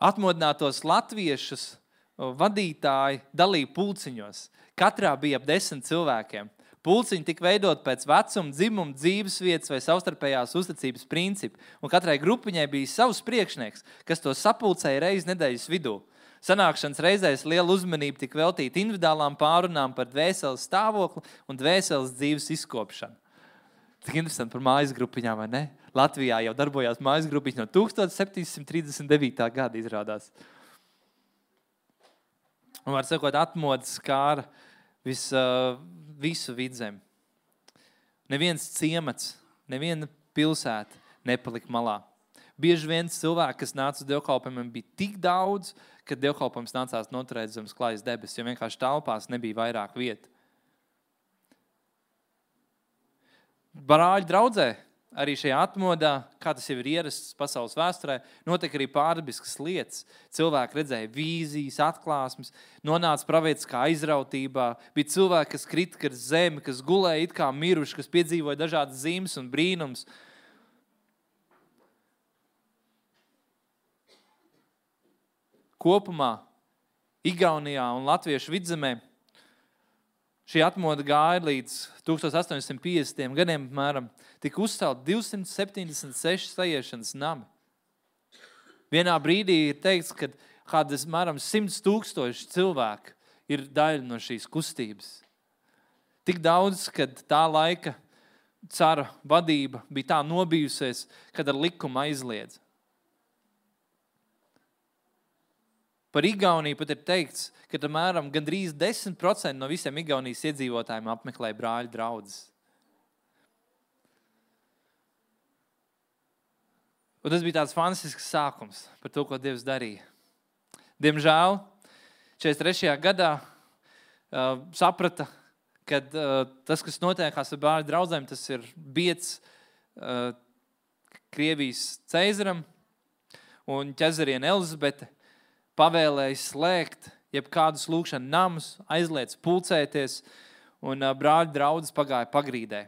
Atmodinātos latviešus vadītāji dalīja pulciņos. Katrā bija ap desmit cilvēkiem. Pulciņi tika veidot pēc vecuma, dzimuma, dzīves vietas vai savstarpējās uzticības principu. Un katrai grupiņai bija savs priekšnieks, kas to sapulcēja reizi nedēļas vidū. Sanākšanas reizēs liela uzmanība tika veltīta individuālām pārunām par dvēseles stāvokli un dvēseles dzīves izkopšanu. Tik interesanti par mājas grupiņām, vai ne? Latvijā jau darbojās mājas grupiņas no tūkstoš septiņsimt trīsdesmit devītā gada izrādās. Un var sakot, atmodas skāra vis, uh, visu Vidzemi. Neviens ciemats, neviena pilsēta nepalika malā. Bieži viens cilvēki, kas nāca uz dievkalpojumiem, bija tik daudz, ka dievkalpojums nācās noturēt zemes klājas debesis, jo vienkārši telpās nebija vairāk vietu. Brāļu draudzē, arī šajā atmodā, kā tas jau ir ierasts pasaules vēsturē, notiek arī pārdabiskas lietas. Cilvēki redzēja vīzijas, atklāsmes, nonāca pravietiskā aizrautībā. Bija cilvēki, kas krita ar zemi, kas gulēja it kā miruši, kas piedzīvoja dažādas zīmes un brīnums. Kopumā Igaunijā un Latviešu vidzemē šī atmoda gāja līdz tūkstoš astoņi simti piecdesmitajiem gadiem, apmēram, tika uzcelt divsimt septiņdesmit seši sajiešanas nami. Vienā brīdī ir teikts, ka kādas, apmēram, simts tūkstoši cilvēku ir daļa no šīs kustības. Tik daudz, kad tā laika cara vadība bija tā nobijusies, kad ar likumu aizliedz. Par Igauniju pat ir teikts, ka apmēram gandrīz desmit procenti no visiem Igaunijas iedzīvotājiem apmeklē brāļu draudzes. Un tas bija tāds fantastisks sākums par to, ko Dievs darīja. Diemžēl četrdesmit trešajā gadā uh, saprata, ka uh, tas, kas notiekās ar brāļu draudzēm, tas ir bieds uh, Krievijas ceizaram un ķezariene Elizabete pavēlēja slēgt jebkādus lūkšanu namus, aizliedz pulcēties, un uh, brāļu draudzes pagāja pagrīdē.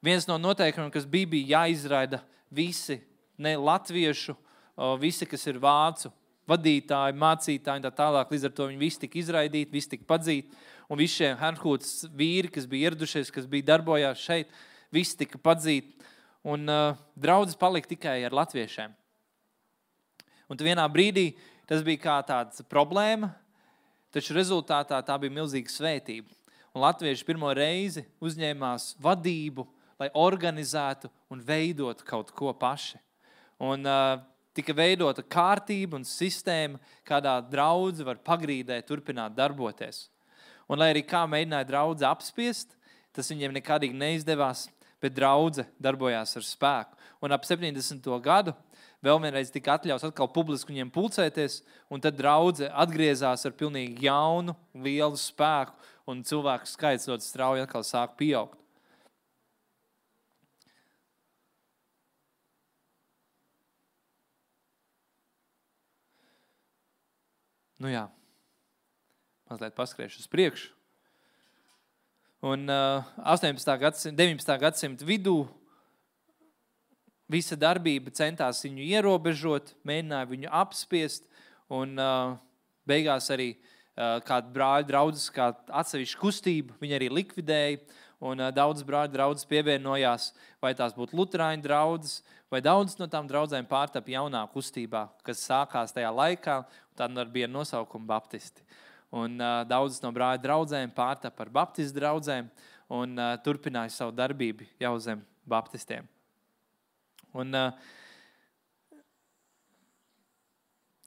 Viens no noteikumiem, kas bija, bija jāizraida visi, ne latviešu, uh, visi, kas ir vācu vadītāji, mācītāji, tā tālāk, līdz ar to viņi visi tika izraidīti, visi tika padzīti, un visi šie Herhūtas vīri, kas bija ieradušies, kas bija darbojās šeit, visi tika padzīti, un uh, draudzes palika tikai ar latviešiem. Un vienā brīdī tas bija kā tāds problēma, taču rezultātā tā bija milzīga svētība. Un latvieši pirmo reizi uzņēmās vadību, lai organizētu un veidotu kaut ko paši. Un uh, tika veidota kārtība un sistēma, kādā draudze var pagrīdē turpināt darboties. Un lai arī kā mēģināja draudze apspiest, tas viņiem nekādīgi neizdevās, bet draudze darbojās ar spēku. Un ap septiņdesmito gadu vēl vienreiz tika atļaus atkal publiski viņiem pulcēties, un tad draudze atgriezās ar pilnīgi jaunu, lielu spēku, un cilvēku skaits ļoti strauji atkal sāk pieaugt. Nu jā, mazliet paskriešu uz priekšu. Un uh, astoņpadsmitā gadsimta, deviņpadsmitā gadsimta vidū visa darbība centās viņu ierobežot, mēģināja viņu apspiest, un uh, beigās arī uh, kāda brāļu draudzes, kā atsevišķa kustība, viņi arī likvidēja, un uh, daudz brāļu draudzes pievienojās, vai tās būtu luterāņu draudzes, vai daudz no tām draudzēm pārtapa jaunā kustībā, kas sākās tajā laikā, un tā bija nosaukuma baptisti. Un uh, daudzas no brāļu draudzēm pārtapa par baptistu draudzēm, un uh, turpināja savu darbību jau zem baptistiem. Un, uh,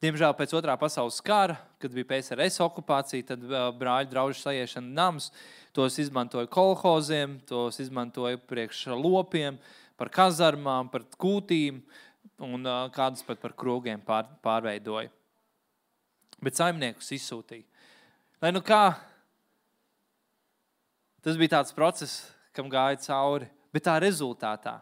diemžēl pēc otrā pasaules kara, kad bija P S R S okupācija, tad uh, brāļu draužu sajiešana nams, tos izmantoja kolhoziem, tos izmantoja priekš lopiem, par kazarmām, par kūtīm, un uh, kādus pat par krogiem pār, pārveidoja. Bet saimniekus izsūtīja. Lai nu kā, tas bija tāds process, kam gāja cauri, bet tā rezultātā.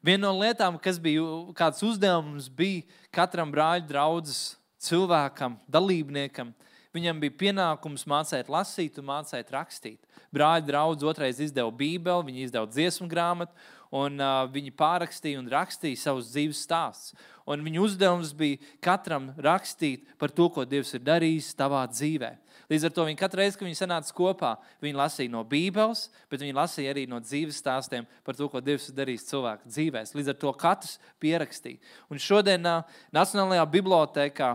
Viena no lietām, kas bija, kāds uzdevums bija katram brāļu draudzes cilvēkam, dalībniekam, Viņam bija pienākums mācēt lasīt un mācēt rakstīt. Brāļi draudz otrais izdeva Bībeli, viņi izdeva dziesmu grāmatu, un uh, viņi pārakstīja un rakstīja savus dzīves stāstus. Un viņu uzdevums bija katram rakstīt par to, ko Dievs ir darījis tavā dzīvē. Līdz ar to viņi katru reizi, kad viņi sanāca kopā, viņi lasīja no Bībeles, bet viņi lasīja arī no dzīves stāstiem par to, ko Dievs ir darījis cilvēku dzīvēs. Līdz ar to katrs pierakstīja. Un šodien uh, Nacionālajā bibliotēkā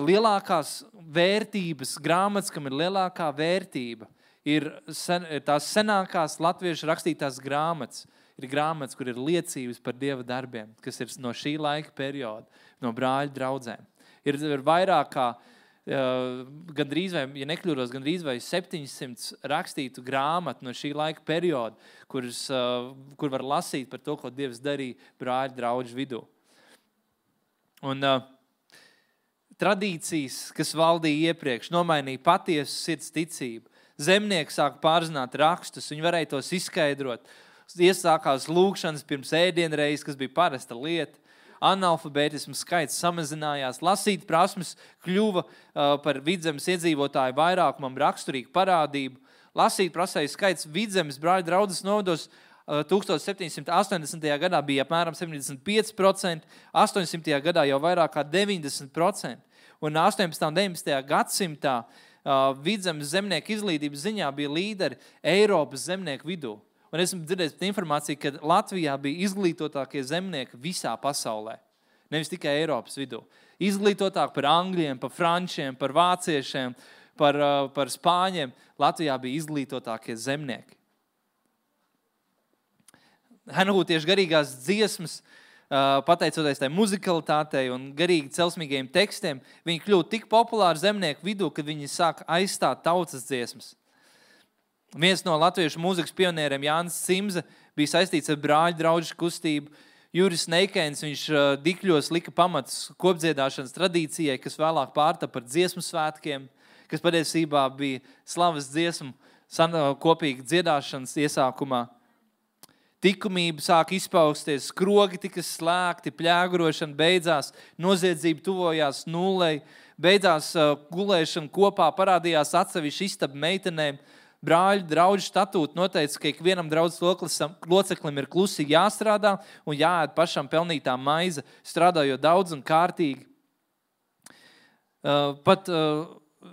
lielākās vērtības grāmatas, kam ir lielākā vērtība, ir, sen, ir tās senākās latviešu rakstītās grāmatas. Ir grāmatas, kur ir liecības par Dieva darbiem, kas ir no šī laika perioda, no brāļu draudzēm. Ir, ir vairāk kā, uh, gandrīz vai, ja nekļūdos, gandrīz vai septiņsimt rakstītu grāmatu no šī laika perioda, kuras, uh, kur var lasīt par to, ko Dievs darīja brāļu draudžu vidū. Un uh, tradīcijas, kas valdīja iepriekš, nomainīja patiesu sirds ticību. Zemnieki sāka pārzināt rakstus, viņi varēja tos izskaidrot. Iesākās lūgšanas pirms ēdienreizes, kas bija parasta lieta. Analfabētismu skaits samazinājās. Lasīt prasmes kļuva uh, par Vidzemes iedzīvotāju vairākumam raksturīgu parādību. Lasīt prasēju skaits Vidzemes brāļu draudzes novados uh, tukstovs septiņsimt astoņdesmitajā gadā bija apmēram septiņdesmit pieci procenti, astoņsimtajā gadā jau vairāk kā deviņdesmit procenti. Un astoņpadsmitajā un deviņpadsmitajā gadsimtā uh, Vidzemes zemnieku izglītības ziņā bija līderi Eiropas zemnieku vidū. Un esmu dzirdējis par informāciju, ka Latvijā bija izglītotākie zemnieki visā pasaulē. Nevis tikai Eiropas vidū. Izglītotāk par angļiem, par frančiem, par vāciešiem, par, par spāņiem. Latvijā bija izglītotākie zemnieki. Henhūtiešu garīgās dziesmas, pateicoties tai muzikalitātei un garīgi celsmīgajiem tekstiem, viņi kļūtu tik populāri zemnieku vidū, kad viņi sāk aizstāt tautas dziesmas. Viens no latviešu mūzikas pionieriem, Jānis Cimze, bija saistīts ar brāļu draudžu kustību. Juris Neikēns, viņš Dikļos lika pamatus kopdziedāšanas tradīcijai, kas vēlāk pārtapa par dziesmu svētkiem, kas patiesībā bija slavas dziesmu kopīga dziedāšanas iesākumā. Tikumība sāk izpausties, skrogi tika slēgti, pļāgurošana beidzās, noziedzība tuvojās nullei, beidzās gulēšana kopā, parādījās atsevišķi istabu meitenēm. Brāļu draudžu statūti noteica, ka ikvienam draudzes loceklim ir klusi jāstrādā un jāēd pašam pelnītā maize, strādājot daudz un kārtīgi. Uh, pat, uh,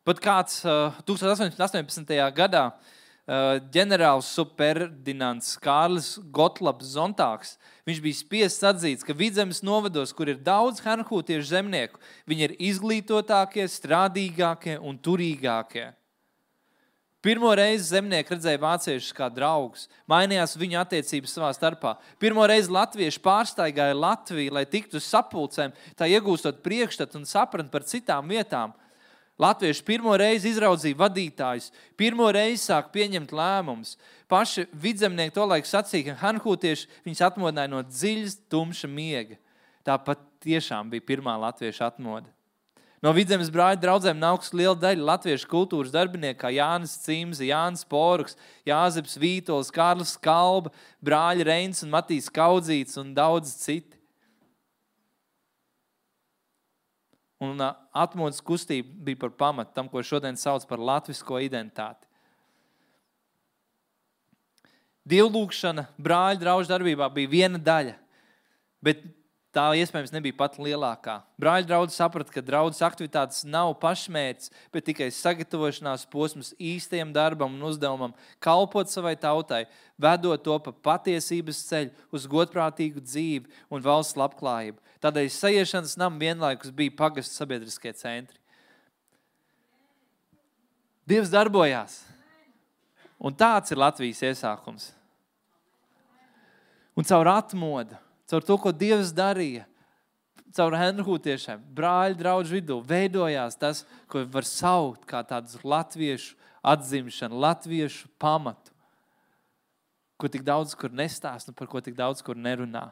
pat kāds uh, tūkstoš astoņsimt astoņpadsmitajā gadā uh, ģenerāls superdinants Kārlis Gotlabs Zontāks, viņš bija spiests atzīt, ka Vidzemes novados, kur ir daudz henhūtiešu zemnieku, viņi ir izglītotākie, strādīgākie un turīgākie. Pirmo reizi zemnieki redzēja vāciešus kā draugus, mainījās viņu attiecības savā starpā. Pirmo reizi latvieši pārstaigāja Latviju, lai tiktu uz sapulcēm, tā iegūstot priekšstatu un sapratni par citām vietām. Latvieši pirmo reizi izraudzīja vadītājus, pirmo reizi sāk pieņemt lēmumus. Paši vidzemnieki tolaik sacīja, ka henhūtieši viņus atmodināja no dziļas, tumša miega. Tāpat tiešām bija pirmā latviešu atmoda. No Vidzemes brāļu draudzēm nāks liela daļa latviešu kultūras darbinieku, kā Jānis Cimze, Jānis Poruks, Jāzeps Vītols, Kārlis Kalba, brāļi Reins un Matīs Kaudzīts un daudz citi. Un atmodas kustība bija par pamatu tam, ko šodien sauc par latvisko identitāti. Dievlūkšana brāļu draužu darbībā bija viena daļa, bet tā iespējams nebija pat lielākā. Brāļu draudzi saprata, ka draudzes aktivitātes nav pašmērķis, bet tikai sagatavošanās posms īstajam darbam un uzdevumam, kalpot savai tautai, vedot to pa patiesības ceļu uz godprātīgu dzīvi un valsts labklājību. Tādēļ sajiešanas nam vienlaikus bija pagastu sabiedriskie centri. Dievs darbojās. Un tāds ir Latvijas iesākums. Un caur atmodu, caur to, ko Dievs darīja, caur henhūtiešiem, brāļu draudžu vidū, veidojās tas, ko var saukt kā tādu latviešu atzimšanu, latviešu pamatu, ko tik daudz kur nestāst un par ko tik daudz kur nerunā.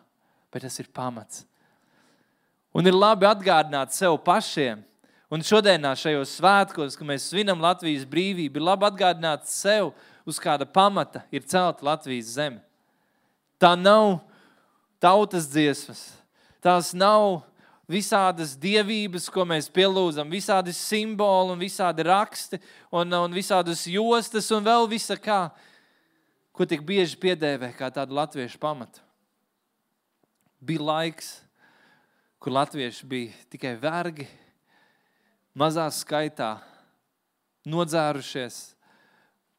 Bet tas ir pamats. Un ir labi atgādināt sev pašiem, un šodienā šajos svētkos, kad mēs svinam Latvijas brīvību, ir labi atgādināt sev, uz kāda pamata ir celta Latvijas zeme. Tā nav tautas dziesmas, tās nav visādas dievības, ko mēs pielūdzam, visādi simboli un visādi raksti un, un visādas jostas un vēl visa kā, ko tik bieži piedēvē kā tādu latviešu pamatu. Bija laiks, kur latvieši bija tikai vergi, mazā skaitā, nodzērušies,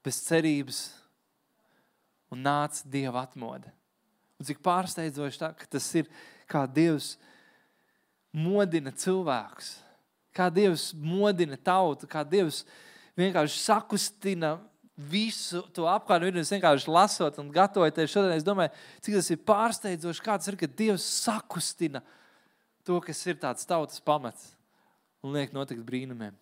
bez cerības un nāca Dieva atmoda. Un cik pārsteidzoši tā, ka tas ir, kā Dievs modina cilvēkus, kā Dievs modina tautu, kā Dievs vienkārši sakustina visu to apkārt, un es vienkārši lasot un gatavoties šodien, es domāju, cik tas ir pārsteidzoši, kā tas ir, ka Dievs sakustina to, kas ir tāds tautas pamats un liek notikt brīnumiem.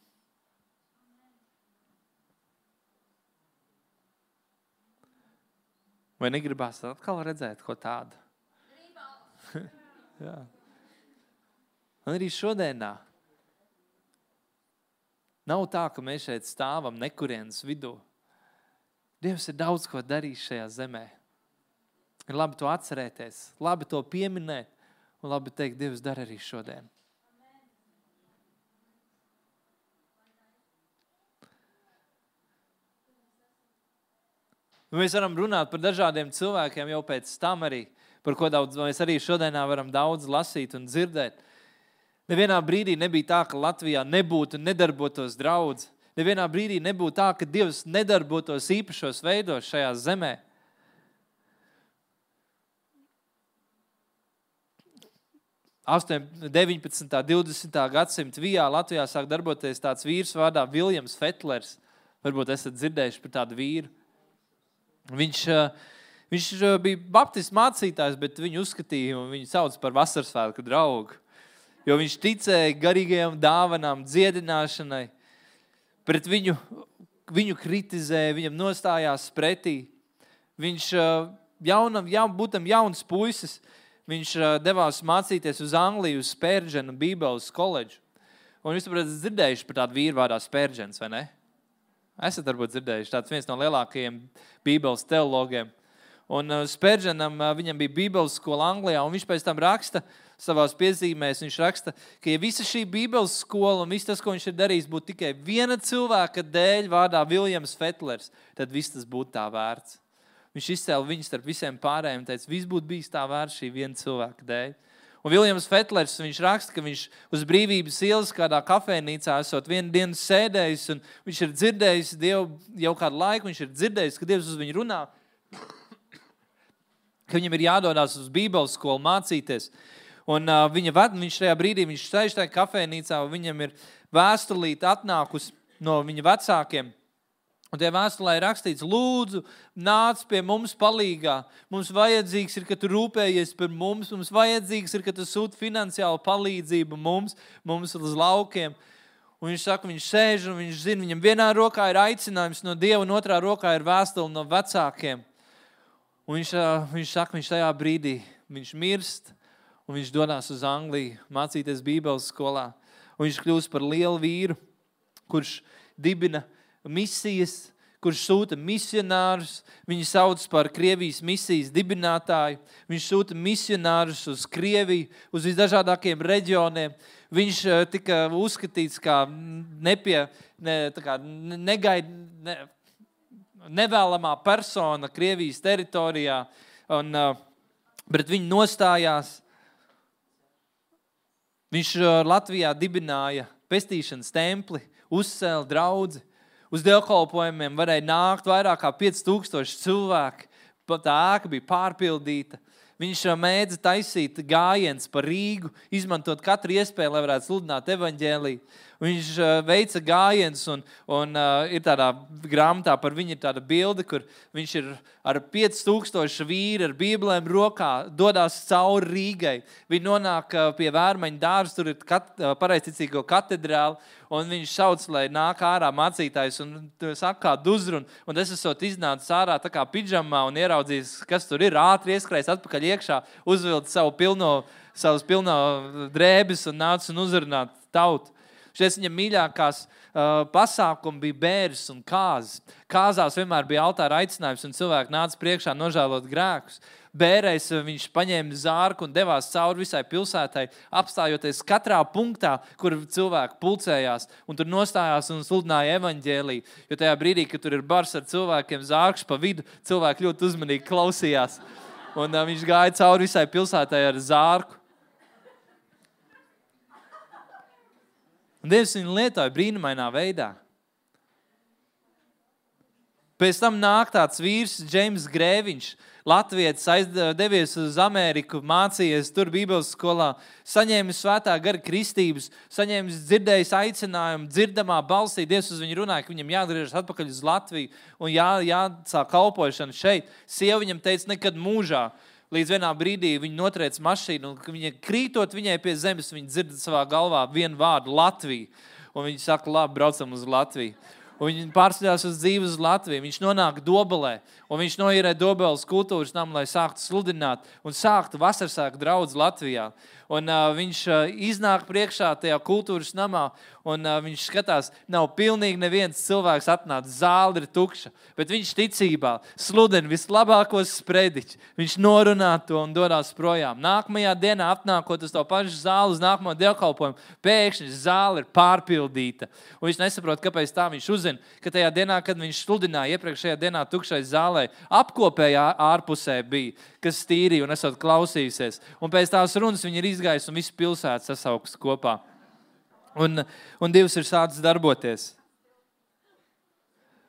Vai negribās atkal redzēt ko tādu? Jā. Un arī šodienā nav tā, ka mēs šeit stāvam nekurienes vidū. Dievs ir daudz ko darījis šajā zemē. Ir labi to atcerēties, labi to pieminēt un labi teikt, Dievs dara arī šodien. Mēs varam runāt par dažādiem cilvēkiem jau pēc tam arī, par ko daudz, mēs arī šodienā varam daudz lasīt un dzirdēt. Nevienā brīdī nebija tā, ka Latvijā nebūtu un nedarbotos draudz. Nevienā brīdī nebūtu tā, ka Dievs nedarbotos īpašos veidos šajā zemē. deviņpadsmitā, divdesmitā gadsimta vijā Latvijā sāk darboties tāds vīrs vārdā Viljams Fetlers. Varbūt esat dzirdējuši par tādu vīru. Viņš, viņš bija baptistu mācītājs, bet viņu uzskatīja un viņu sauc par vasarsvētku draugu. Jo viņš ticēja garīgajām dāvanām, dziedināšanai. Pret viņu, viņu kritizēja, viņam nostājās pretī. Viņš jaunam, jaun, būtam jauns puisis, viņš devās mācīties uz Angliju, uz Spērģenu Bībeles koledžu. Un jūs, protams, dzirdējuši par tādu vīru vārdā Spērģens, vai ne? Esat varbūt dzirdējuši, tāds viens no lielākajiem Bībeles teologiem. Un Spērģenam, viņam bija Bībeles skola Anglijā, un viņš pēc tam raksta savās piezīmēs, viņš raksta, ka ja visa šī Bībeles skola un viss tas, ko viņš ir darījis, būtu tikai viena cilvēka dēļ vārdā Viljams Fetlers, tad viss tas būtu tā vērts. Viņš izcēla viņu starp visiem pārējiem un teica, viss būtu bijis tā vērts šī viena cilvēka dēļ. Un Viljams Fetlers, viņš raksta, ka viņš uz Brīvības ielas kādā kafejnīcā esot vienu dienu sēdējis, un viņš ir dzirdējis Dievu jau kādu laiku, viņš ir dzirdējis, ka Dievs uz viņu runā, ka viņam ir jādodās uz Bībeles skolu mācīties. Un uh, viņa ved, viņš tajā brīdī, viņš sēž tajā kafejnīcā, un viņam ir vēstulīte atnākusi no viņa vecākiem. Un tajā vēstulē ir rakstīts, lūdzu, nāc pie mums palīgā. Mums vajadzīgs ir, ka tu rūpējies par mums. Mums vajadzīgs ir, ka tu sūti finansiālu palīdzību mums, mums uz laukiem. Un viņš saka, viņš sēž un viņš zina, viņam vienā rokā ir aicinājums no Dieva, un otrā rokā ir vēstule no vecākiem. Un viņš, viņš saka, viņš tajā brīdī, viņš mirst, un viņš dodās uz Angliju mācīties Bībeles skolā. Un viņš kļūst par lielu vīru, kurš dibina misijas, kurš sūta misionārus. Viņu sauc par Krievijas misijas dibinātāju. Viņš sūta misionārus uz Krieviju, uz visdažādākiem reģioniem. Viņš tika uzskatīts kā nepie, ne, tā kā negaid, ne, nevēlamā persona Krievijas teritorijā, un pret viņu nostājās. Viņš Latvijā dibināja pestīšanas templi, uzcēla draudzi. Uz dievkalpojumiem varēja nākt vairāk kā pieci tūkstoši cilvēki. Tā ēka bija pārpildīta. Viņš mēdza taisīt gājiens pa Rīgu, izmantot katru iespēju, lai varētu sludināt evaņģēliju. Viņš veica gājiens un, un uh, ir tādā grāmatā par viņu ir tāda bilde, kur viņš ir ar pieci tūkstoši vīri ar bībelēm rokā dodās cauri Rīgai. Viņi nonāk pie Vērmaņa dārza, tur ir kat, pareizticīgo katedrāli, un viņš sauc, lai nāk ārā mācītājs un saka kādu uzrunu. Un es esot iznācis ārā tā kā pidžamā un ieraudzījis, kas tur ir, ātri ieskrējis atpakaļ iekšā, uzvilkt savu pilno, savus pilno drēbes un nācis un uzrunāt tautu. Šies viņam mīļākās uh, pasākumi bija bēres un kāzas. Kāzās vienmēr bija altāra aicinājums un cilvēki nāca priekšā nožēlot grēkus. bērēs viņš paņēma zārku un devās cauri visai pilsētai, apstājoties katrā punktā, kur cilvēki pulcējās un tur nostājās un sludināja evaņģēliju. Jo tajā brīdī, kad tur ir bars ar cilvēkiem, zārks pa vidu, cilvēki ļoti uzmanīgi klausījās. Un uh, viņš gāja cauri visai pilsētai ar zārku. Un Dievs viņu lietoja brīnumainā veidā. Pēc tam nāk tāds vīrs, Džeims Grēviņš, latvietis, devies uz Ameriku, mācījies tur Bībeles skolā, saņēmis svētā gara kristības, saņēmis dzirdējis aicinājumu, dzirdamā balsī, Dievs uz viņu runāja, ka viņam jāgriežas atpakaļ uz Latviju un jā, jāsāk kalpošana šeit. Sieva viņam teica, nekad mūžā. Līdz vienā brīdī viņa notriec mašīnu, un viņa krītot viņai pie zemes, viņa dzird savā galvā vienu vārdu Latviju. Un viņa saka, labi, braucam uz Latviju. Un viņi pārceļās uz dzīvi uz Latviju. Viņš nonāk Dobelē, un viņš noīrē Dobeles kultūras namu, lai sāktu sludināt un sāktu vasarsāku draudzi Latvijā. Un uh, viņš uh, iznāk priekšā tajā kultūras namā, un uh, viņš skatās, nav pilnīgi neviens cilvēks atnāc, zāle ir tukša, bet viņš ticībā sludina vislabākos sprediķus. Viņš norunā to un dodās projām. Nākamajā dienā apnākot uz to pašu zāli, uz nākamo dievkalpojumu, pēkšņi zāle ir pārpildīta. Un viņš nesaprot, kāpēc tā viņš uzzina, ka tajā dienā, kad viņš sludināja iepriekšējā dienā tukšai zālē, apkopējā ārpusē bija, kas stīrīja un esot klausījusies. Un pēc tās runas viņi ir izgājis un visu pilsētu sasauks kopā. Un, un Dievs ir sācis darboties.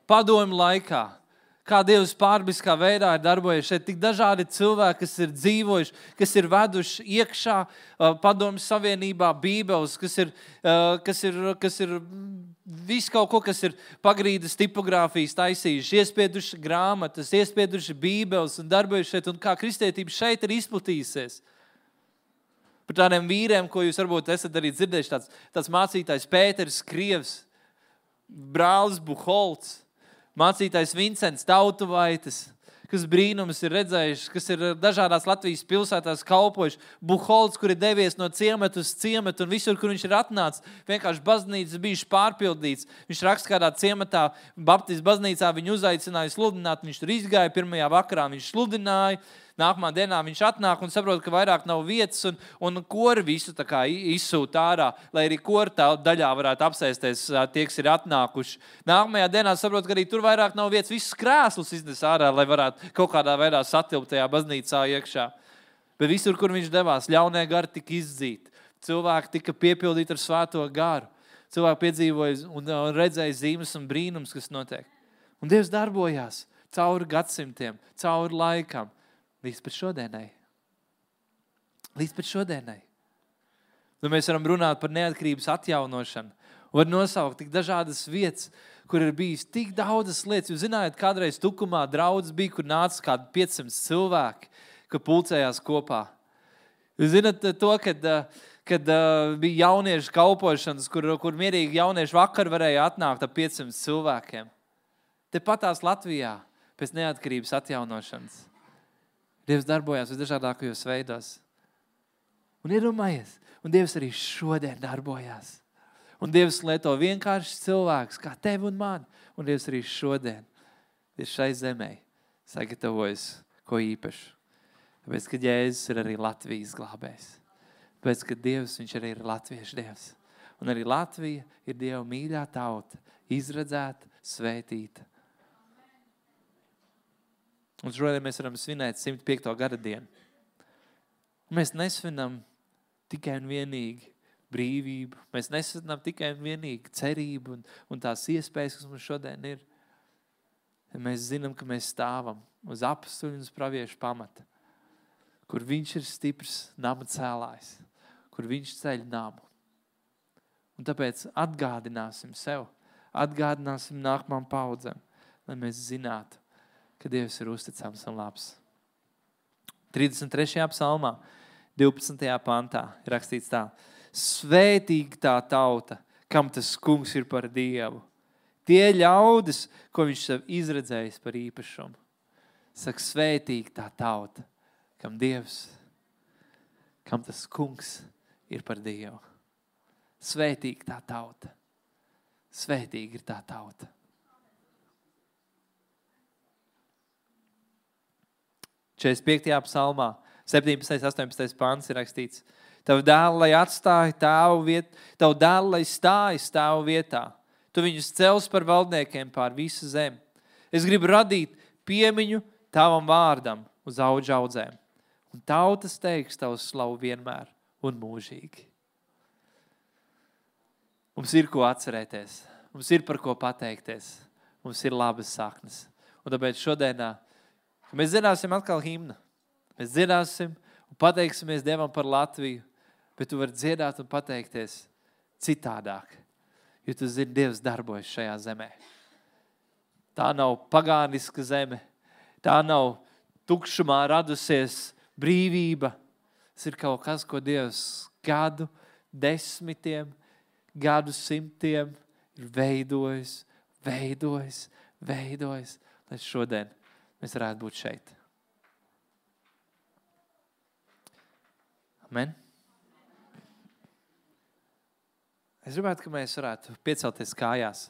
Padomju laikā, kā Dievs pārbiskā veidā ir darbojies šeit, tik dažādi cilvēki, kas ir dzīvojuši, kas ir veduši iekšā Padomju Savienībā Bībeles, kas ir, kas ir, kas ir visu kaut ko, kas ir pagrīdas tipogrāfijas taisījuši, iespieduši grāmatas, iespieduši Bībeles un darbojuši šeit, un kā kristietība šeit ir izplatījusies. Par tādiem vīriem, ko jūs varbūt esat arī dzirdējuši, tāds, tāds mācītājs Pēters Krievs, brālis Buholts, mācītājs Vincents Tautuvaitis, kas brīnums ir redzējuši, kas ir dažādās Latvijas pilsētās kalpojuši, Buholts, kur ir devies no ciemata uz ciematu, un visur, kur viņš ir atnācis, vienkārši baznīcas bijuši pārpildīts. Viņš raksta kādā ciematā, Baptistu baznīcā viņu uzaicināja sludināt, viņš tur izgāja, pirmajā vakarā viņš sludināja, nākamā dienā viņš atnāk un saprot, ka vairāk nav vietas, un, un kori visu tā kā izsūt ārā, lai arī kori tā daļā varētu apsēsties tie, kas ir atnākuši. Nākamajā dienā saprot, ka arī tur vairāk nav vietas, visus krēslus iznes ārā, lai varētu kaut kādā veidā satilpt tajā baznīcā iekšā. Bet visur, kur viņš devās, ļaunie gari tika izdzīti. Cilvēki tika piepildīti ar svēto garu. Cilvēki piedzīvoja un redzēja zīmes un brīnums, kas notiek. Un Dievs darbojās cauri gadsimtiem, cauri laikam. Līdz pat šodienai. Līdz pat šodienai. Nu, mēs varam runāt par neatkarības atjaunošanu. Var nosaukt tik dažādas vietas, kur ir bijis tik daudzas lietas. Jūs zinājāt, kādreiz Tukumā draudzes bija, kur nāca kādi piecsimt cilvēki, kur pulcējās kopā. Jūs zināt to, kad, kad bija jauniešu kalpošanas, kur, kur mierīgi jauniešu vakar varēja atnākt ar piecsimt cilvēkiem. Te patās Latvijā pēc neatkarības atjaunošanas. Dievs darbojās visdažādākajos veidos. Un iedomājies, un Dievs arī šodien darbojās. Un Dievs lieto vienkārši cilvēks, kā tevi un mani. Un Dievs arī šodien ir šai zemē sagatavojis ko īpašu. Tāpēc, ka Jēzus ir arī Latvijas glābējs. Tāpēc, ka Dievs, viņš arī ir latviešu Dievs. Un arī Latvija ir Dieva mīļā tauta, izredzēta, svētīta. Un šodien mēs varam svinēt simt piekto gada dienu. Un mēs nesvinam tikai un vienīgi brīvību. Mēs nesvinam tikai un vienīgi cerību un, un tās iespējas, kas mums šodien ir. Mēs zinām, ka mēs stāvam uz apustuļu un uz praviešu pamata, kur viņš ir stiprs nama cēlājs, kur viņš ceļ namu. Un tāpēc atgādināsim sev, atgādināsim nākamām paudzēm, lai mēs zinātu, ka Dievs ir uzticams un labs. trīsdesmit trešajā psalmā, divpadsmitajā pantā ir rakstīts tā. Svētīga tā tauta, kam tas kungs ir par Dievu. Tie ļaudis, ko viņš sev izredzējis par īpašumu. Saka, svētīga tā tauta, kam Dievs, kam tas kungs ir par Dievu. Svētīga tā tauta. Svētīga ir tā tauta. četrdesmit piektajā psalmā, septiņpadsmitais, astoņpadsmitais pants ir rakstīts. Tavu dēlu, lai atstāja tāvu vietu, tavu dēlu, lai stājas tāvu vietā. Tu viņus cels par valdniekiem pār visu zemi. Es gribu radīt piemiņu tavam vārdam uz audžu audzēm. Un tautas teiks tavu slavu vienmēr un mūžīgi. Mums ir ko atcerēties. Mums ir par ko pateikties. Mums ir labas saknes. Un tāpēc šodienā, ka mēs dziedāsim atkal himnu. Mēs dziedāsim un pateiksimies Dievam par Latviju, bet tu vari dziedāt un pateikties citādāk, jo tu zini, Dievs darbojas šajā zemē. Tā nav pagāniska zeme, tā nav tukšumā radusies brīvība. Tas ir kaut kas, ko Dievs gadu desmitiem, gadu simtiem ir veidojis, veidojis, veidojis, lai šodien mēs varētu būt šeit. Amen. Es gribētu, ka mēs varētu piecelties kājās.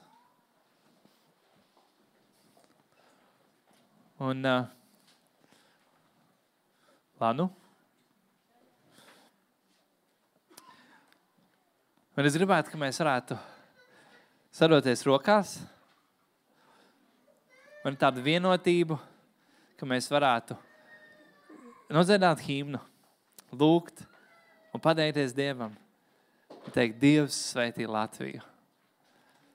Un, uh, Lanu? Un es gribētu, ka mēs varētu sadoties rokās. Un tādu vienotību, ka mēs varētu nodziedāt himnu, lūgt un pateikties Dievam. Un teikt, Dievs svētī Latviju.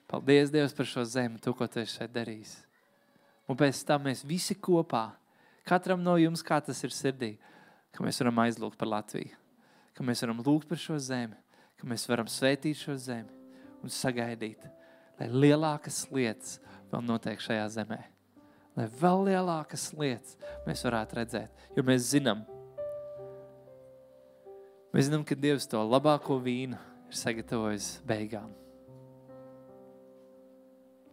Paldies, Dievs, par šo zemi, tu, ko tu esi šeit darījis. Un pēc tam mēs visi kopā, katram no jums, kā tas ir sirdī, ka mēs varam aizlūgt par Latviju. Ka mēs varam lūgt par šo zemi, ka mēs varam svētīt šo zemi un sagaidīt, lai lielākas lietas vēl notiek šajā zemē. Lai vēl lielākas lietas mēs varētu redzēt, jo mēs zinām, mēs zinām, ka Dievs to labāko vīnu ir sagatavojis beigām.